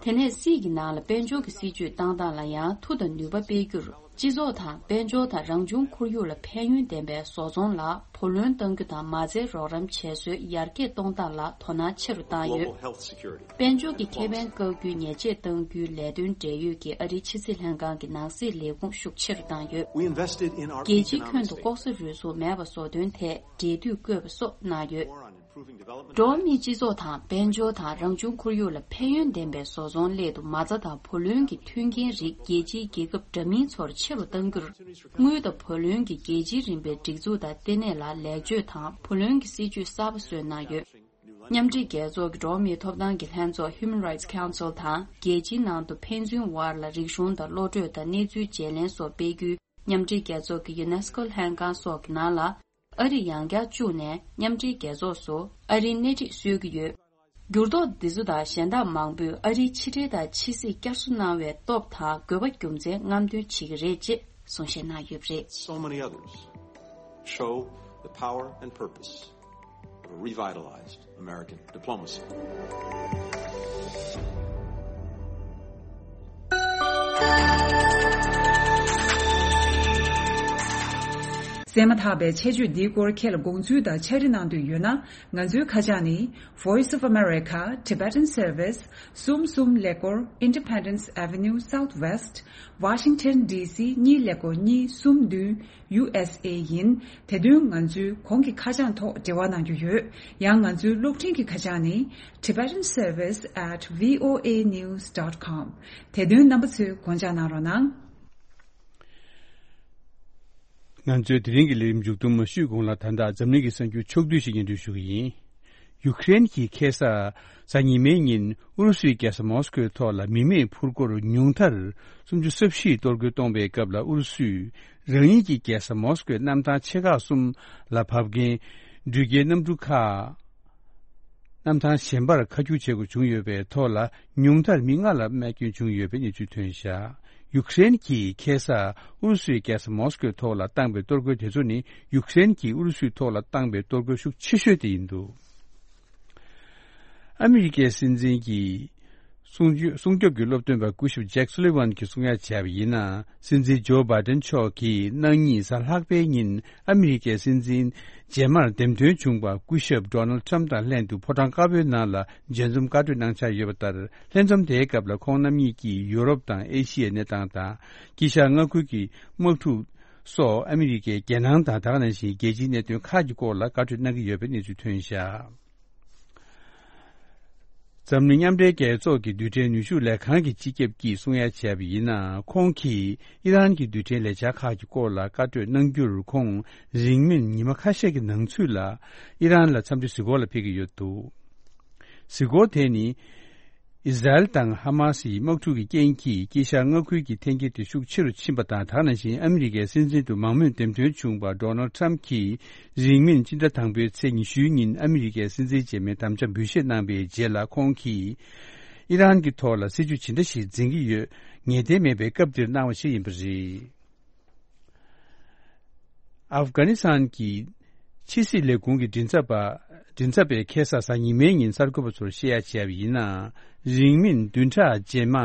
དེ་ནས་སྲིད་ཀྱི་ནང་ལ་དཔལ་འབྱོར་གྱི་སྲིད་ཇུས་བཏང་སྟངས་ལ་ཡང་མཐུ་དང་ནུས་པ་སྤེལ་རྒྱུར། སྤྱི་ཚོགས་དང་དཔལ་འབྱོར་དང་རང་བྱུང་ཁོར་ཡུག་ལ་ཕན་ཡོན་ལྡན་པའི་བཟོ་ཚོང་ལ་བུ་ལོན་གཏང་རྒྱུ་དང་མ་རྩའི་རོགས་རམ་བྱེད་སྲོལ་ཡར་རྒྱས་གཏོང་སྟངས་ལ་དོ་སྣང་ཆེ་རུ་བཏང་ཡོད། Global health security དཔལ་འབྱོར་གྱི་ཁེ་ཕན་བཀག་རྒྱུའི་ཉེས་ཆད་གཏང་རྒྱུའི་ལས་དོན་འབྲེལ་ཡོད་ཀྱི་ཨ་རིའི་ཕྱི་སྲིད་ལྷན་ཁང་གི་ནང་སྲིད་ལས་ཁུངས་ཤུགས་ཆེ་རུ་བཏང་ཡོད། We invested in our རྒྱལ་སྤྱིའི་ཁྱོན་དུ་ལྐོག་ཟ་རུལ་སུངས་མེད་པ་བཟོ་དོན་ཐད་འབྲེལ་མཐུད་བཀོད་པ་སོགས་གནང་ཡོད། འགྲོ་བ་མིའི་སྤྱི་ཚོགས་དང་དཔལ་འབྱོར་དང་རང་བྱུང་ཁོར་ཡུག་ལ་ཕན་ཡོན་ལྡན་པའི་བཟོ་ཚོང་སླད་དུ་མ་རྩ་དང་བུ་ལོན་གྱི་མཐུན་རྐྱེན་རིགས་རྒྱལ་སྤྱིའི་རྒྱལ་ཁབ་འདྲ་མིན་ཚོར་ཆེ་རུ་གཏང་རྒྱུར། དངུལ་དང་བུ་ལོན་གྱི་རྒྱལ་སྤྱིའི་རིམ་པའི་སྒྲིག་འཛུགས་དང་ལྟེ་གནས་ལ་ལེགས་བཅོས་དང་བུ་ལོན་གྱི་སྲིད་ཇུས་གསར་པ་བཟོས་གནང་ཡོད། མཉམ་འབྲེལ་རྒྱལ་ཚོགས་ཀྱི་འགྲོ་བ་མིའི་ཐོབ་ཐང་གི་ལྷན་ཚོགས་Human Rights Council དང་རྒྱལ་སྤྱིའི་ནང་དུ་ཕན་ཚུན་དབར་ལ་རིག་གཞུང་དང་བློ་གྲོས་དང་གནས་ཚུལ་བརྗེ་ལེན་སོགས་སྤེལ་རྒྱུའི་མཉམ་འབྲེལ་རྒྱལ་ཚོགས་ཀྱི་ཡུ་ནེ་སི་ཀོ་ལྷན་ཁང་སོགས་ཀྱི་ནང་ལ། ཨ་རི་ཡང་བསྐྱར་བཅུག་ནས་མཉམ་འབྲེལ་རྒྱལ་ཚོགས་སུ་ཨ་རིའི་སྣེ་ཁྲིད་སྲོལ་གྱི་ཡོད། འགྱུར་ལྡོག་འདི་ཚོ་དང་གཞན་དག་མང་པོས་ཨ་རིའི་ཕྱི་འབྲེལ་དང་ཕྱི་སྲིད་བསྐྱར་གསོ་གནང་བའི་སྟོབས་དང་དགོས་པ་རྒྱུ་མཚན་རྔམ་སྟོན་བྱེད་ཀྱི་རེད་ཅེས་གསུང་བཤད་གནང་ཡོད་པ་རེད། So many others show the power and purpose of a revitalized American diplomacy. གསན་མ་ཐག་པའི་ཆེད་བརྗོད་འདིའི་སྐོར་ཁྱེད་ལ་དགོངས་ཚུལ་དང་ཕྱག་བྲིས་གནང་འདོད་ཡོད་ན། ང་ཚོའི་ཁ་བྱང་ནི། Voice of America, Tibetan Service, གསུམ་གསུམ་ཀླད་ཀོར། Independence Avenue Southwest, Washington D C གཉིས་ཀླད་ཀོར་གཉིས་གསུམ་བདུན། U S A ཡིན། དེ་དོན་ང་ཚོའི་གོང་གི་ཁ་བྱང་ཐོག་འབྲེལ་བ་གནང་རྒྱུ་ཡོད། ཡང་ང་ཚོའི་གློག་འཕྲིན་གྱི་ཁ་བྱང་ནི། Tibetan Service at V O A news dot com། དེ་དོན་རྣམ་པ་ཚོས་དགོངས་འཇགས་གནང་རོགས་གནང་། ང་ཚོའི་དེ་རིང་གི་ལས་རིམ་མཇུག་བསྡོམས་མ་ཞུས་གོང་ལ། ད་ལྟ་འཛམ་གླིང་གི་གསར་འགྱུར་ཕྱོགས་བསྡུས་ཤིག་སྙན་སྒྲོན་ཞུ་གི་ཡིན། ཡུ་ཀེ་རེན་གྱིས་ཁ་སང་གཟའ་ཉི་མའི་ཉིན་ཨུ་རུ་སུའི་རྒྱལ་ས་མོ་སི་ཀོའི་ཐོག་ལ་མི་མེད་ཕུར་སྐོར་ཉུང་མཐར་སུམ་ཅུ་སོ་བཞི་གཏོར་རྒོལ་གཏོང་བའི་སྐབས་ལ། ཨུ་རུ་སུས་རང་ཉིད་ཀྱི་རྒྱལ་ས་མོ་སི་ཀོའི་གནམ་ཐང་ཆེ་ཁག་གསུམ་ལ་བབས་མཁན་འགྲུལ་སྐྱེལ་གནམ་གྲུ་ཁག་གནམ་ཐང་གཞན་པར་ཁ་སྒྱུར་བྱེད་དགོས་བྱུང་ཡོད་པའི་ཐོག་ལ། ཉུང་མཐར་མི་ལྔ་ལ་རྨས་སྐྱོན་བྱུང་ཡོད་པའི་གནས་ཚུལ་ཐོན་བཞག་ཡུ་ཀེ་རེན་གྱིས་ཁ་སང་ཨུ་རུ་སུའི་རྒྱལ་ས་མོ་སི་ཀོའི་ཐོག་ལ་བཏང་པའི་གཏོར་རྒོལ་དེ་ཚོ་ནི། ཡུ་ཀེ་རེན་གྱིས་ཨུ་རུ་སུའི་ཐོག་ལ་བཏང་པའི་གཏོར་རྒོལ་ཤུགས་ཆེ་ཤོས་དེ་ཡིན་འདུག་ཨ་མི་རི་ཀའི་སྲིད་འཛིན་གྱི་སྲུང་སྐྱོབ་སྲུང་སྐྱོབ་ཀྱི་སློབ་སྟོན་པ་སྐུ་ཞབས་ཇེག་སུ་ལི་ཝན་གྱིས་གསུང་ཡ་བྱས་པ་ཡིན་ན། སྲིད་འཛིན་ཇོ་བྷའི་ཏན་མཆོག་གིས་གནངས་ཉིན་གཟའ་ལྷག་པའི་ཉིན་ཨ་མི་རི་ཀའི་སྲིད་འཛིན་རྗེས་མར་འདེམས་ཐོན་བྱུང་བ་སྐུ་ཞབས་ཌོ་ནལ་ཁྲམ་དང་ལྷན་དུ་ཕོ་བྲང་དཀར་པོའི་ནང་ལ་མཇལ་འཛོམས་བཀའ་གྲོས་གནང་འཆར་ཡོད་པ་ལྟར། ལྷན་འཛོམས་དེའི་སྐབས་ལ་ཁོང་རྣམ་གཉིས་ཀྱིས་ཡུ་རོབ་དང་ཨེ་ཤི་ཡའི་གནས་སྟངས་དང་། དཀྱིལ་ཤར་མངའ་ཁུལ་གྱི་དམག་འཁྲུག་སོགས། ཨ་མི་རི་ཀའི་རྒྱལ་ནང་དང་། ད་ག་ནང་བཞིན་རྒྱལ་སྤྱིའི་གནད་དོན་ཁག་གི་སྐོར་ལ་བཀའ་གྲོས་གནང་གི་ཡོད་པའི་གནས་ཚུལ་ཐོན་བཞག་འཛམ་གླིང་མཉམ་འབྲེལ་རྒྱལ་ཚོགས་ཀྱི་རྡུལ་ཕྲན་ནུས་ཤུགས་ལས་ཁང་གི་སྤྱི་ཁྱབ་ཀྱིས་གསུང་ཡ་བྱས་པ་ཡིན་ན། ཁོང་གིས་ཨི་རན་གྱི་རྡུལ་ཕྲན་ལས་འཆར་ཁག་གི་སྐོར་ལ་བཀའ་གྲོས་གནང་རྒྱུར། ཁོང་རིང་མིན་ཉི་མ་ཁ་ཤས་ཀྱི་ནང་ཚུད་ལ་ཨི་རན་ལ་འཚམས་འདྲི་གཟིགས་སྐོར་ལ་ཕེབས་ཀྱི་ཡོད་འདུག་གཟིགས་སྐོར་དེ་ནི། ཨི་ཟ་རེལ་དང་ཧ་མ་སི་ཡི་དམག་འཁྲུག་གི་རྐྱེན་གྱིས་དཀྱིལ་ཤར་མངའ་ཁུལ་གྱི་འཐེན་འཁྱེར་དེ་ཤུགས་ཆེ་རུ་ཕྱིན་པ་དང་། ད་ག་ནང་བཞིན་ཨ་མི་རི་ཀའི་སྲིད་འཛིན་དུ་མང་མོས་འདེམས་ཐོན་བྱུང་བ་ཌོ་ནལ་ཁྲམ་གྱིས། རིང་མིན་སྤྱི་ཟླ་དང་པོའི་ཚེས་ཉི་ཤུའི་ཉིན་ཨ་མི་རི་ཀའི་སྲིད་འཛིན་རྗེས་མའི་དམ་བཅའ་འབུལ་བཞེས་གནང་བའི་རྗེས་ལ། ཁོང་གིས་ཨི་རན་གྱི་ཐོག་ལ་སྲིད་ཇུས་ཇི་འདྲ་ཞིག་འཛིན་གྱི་ཡོད། ངེས་གཏན་མེད་པའི་སྐབས་འདིར་གནང་བ་ཞིག་ཡིན་པ་རེད། ཨབ་གྷ་ནི་སི་ཐན་གྱི་ཕྱི་སྲིད་ལས་ཁུངས་ཀྱི་མགྲིན་ཚབ་པ། མགྲིན་ཚབ་པས་ཁ་སང་གཟའ་ཉི་མའི་ཉིན་གསར་འགོད་པ་ཚོར་བཤད་ཡ་བྱས་པ་ཡིན་ན། རིང་མིན་བདུན་ཕྲག་རྗེས་མ།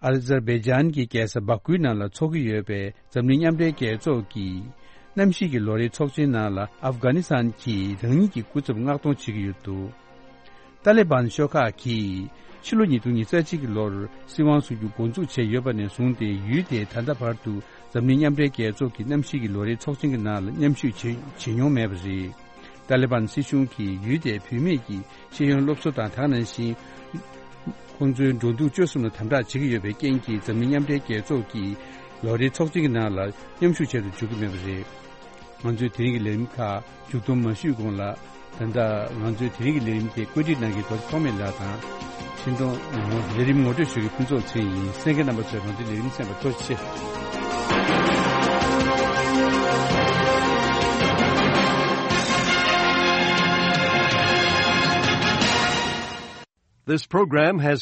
ཨ་ཛར་བྷེ་ཇན་གྱི་རྒྱལ་ས་བྷ་ཀུའི་ནང་ལ་འཚོགས་ཀྱི་ཡོད་པའི་འཛམ་གླིང་མཉམ་འབྲེལ་རྒྱལ་ཚོགས་ཀྱི་གནམ་གཤིས་ཀྱི་ལོ་རེའི་ཚོགས་ཆེན་ནང་ལ། ཨབ་གྷ་ནི་སི་ཐན་གྱིས་རང་ཉིད་ཀྱི་སྐུ་ཚབ་མངགས་གཏོང་བྱེད་ཀྱི་ཡོད་འདུག་ཏཱ་ལི་བན་ཤོག་ཁག་གིས་ཕྱི་ལོ་ཉིས་སྟོང་ཉི་ཤུ་རྩ་གཅིག་གི་ལོར་སྲིད་དབང་བཟུང་རྒྱུ་འགོ་འཛུགས་བྱས་ཡོད་པ་ནས་བཟུང་སྟེ། ཡུལ་དེས་ད་ལྟ་བར་དུ་འཛམ་གླིང་མཉམ་འབྲེལ་རྒྱལ་ཚོགས་ཀྱི་གནམ་གཤིས་ཀྱི་ལོ་རེའི་ཚོགས་ཆེན་གྱི་ནང་ལ་མཉམ་ཞུགས་བྱེད་བྱེད་མྱོང་མེད་པ་རེད། ཏཱ་ལི་བན་སྲིད་གཞུང་གིས་ཡུལ་དེའི་བུད་མེད་ཀྱི་ཤེས་ཡོན་སློབ་གསོ་དང་། ད་ག་ནང་བཞིན་ཁོང་ཚོའི་འགྲོ་འདུག་སྤྱོད་གསུམ་ལ་དམ་དྲག་བྱེད་ཀྱི་ཡོད་པའི་རྐྱེན་གྱིས། འཛམ་གླིང་མཉམ་འབྲེལ་རྒྱལ་ཚོགས་ཀྱི་ལོ་རེའི་ཚོགས་ཆེན་གྱི་ནང་ལ་མཉམ་ཞུགས་བྱེད་དུ་འཇུག་གི་མེད་པ་རེད། ང་ཚོའི་དེ་རིང་གི་ལས་རིམ་ཁག་མཇུག་སྡོམ་མ་ཞུས་གོང་ལ། ད་ལྟ་ང་ཚོའི་དེ་རིང་གི་ལས་རིམ་དེ་བཀོད་སྒྲིག་གནང་མཁན་རྡོ་རྗེ་ཐོགས་མེད་ལགས་དང་། འཕྲིན་གཏོང་ངོ་ལས་རིམ་ངོ་སྤྲོད་ཞུ་མཁན་ཕུན་ཚོགས་ཚེ་རིང་ཡིན། གསན་མཁན་རྣམ་པ་ཚོས་ང་ཚོའི་ལས་རིམ་གསན་པར་ཐུགས་རྗེ་ཆེ། This program has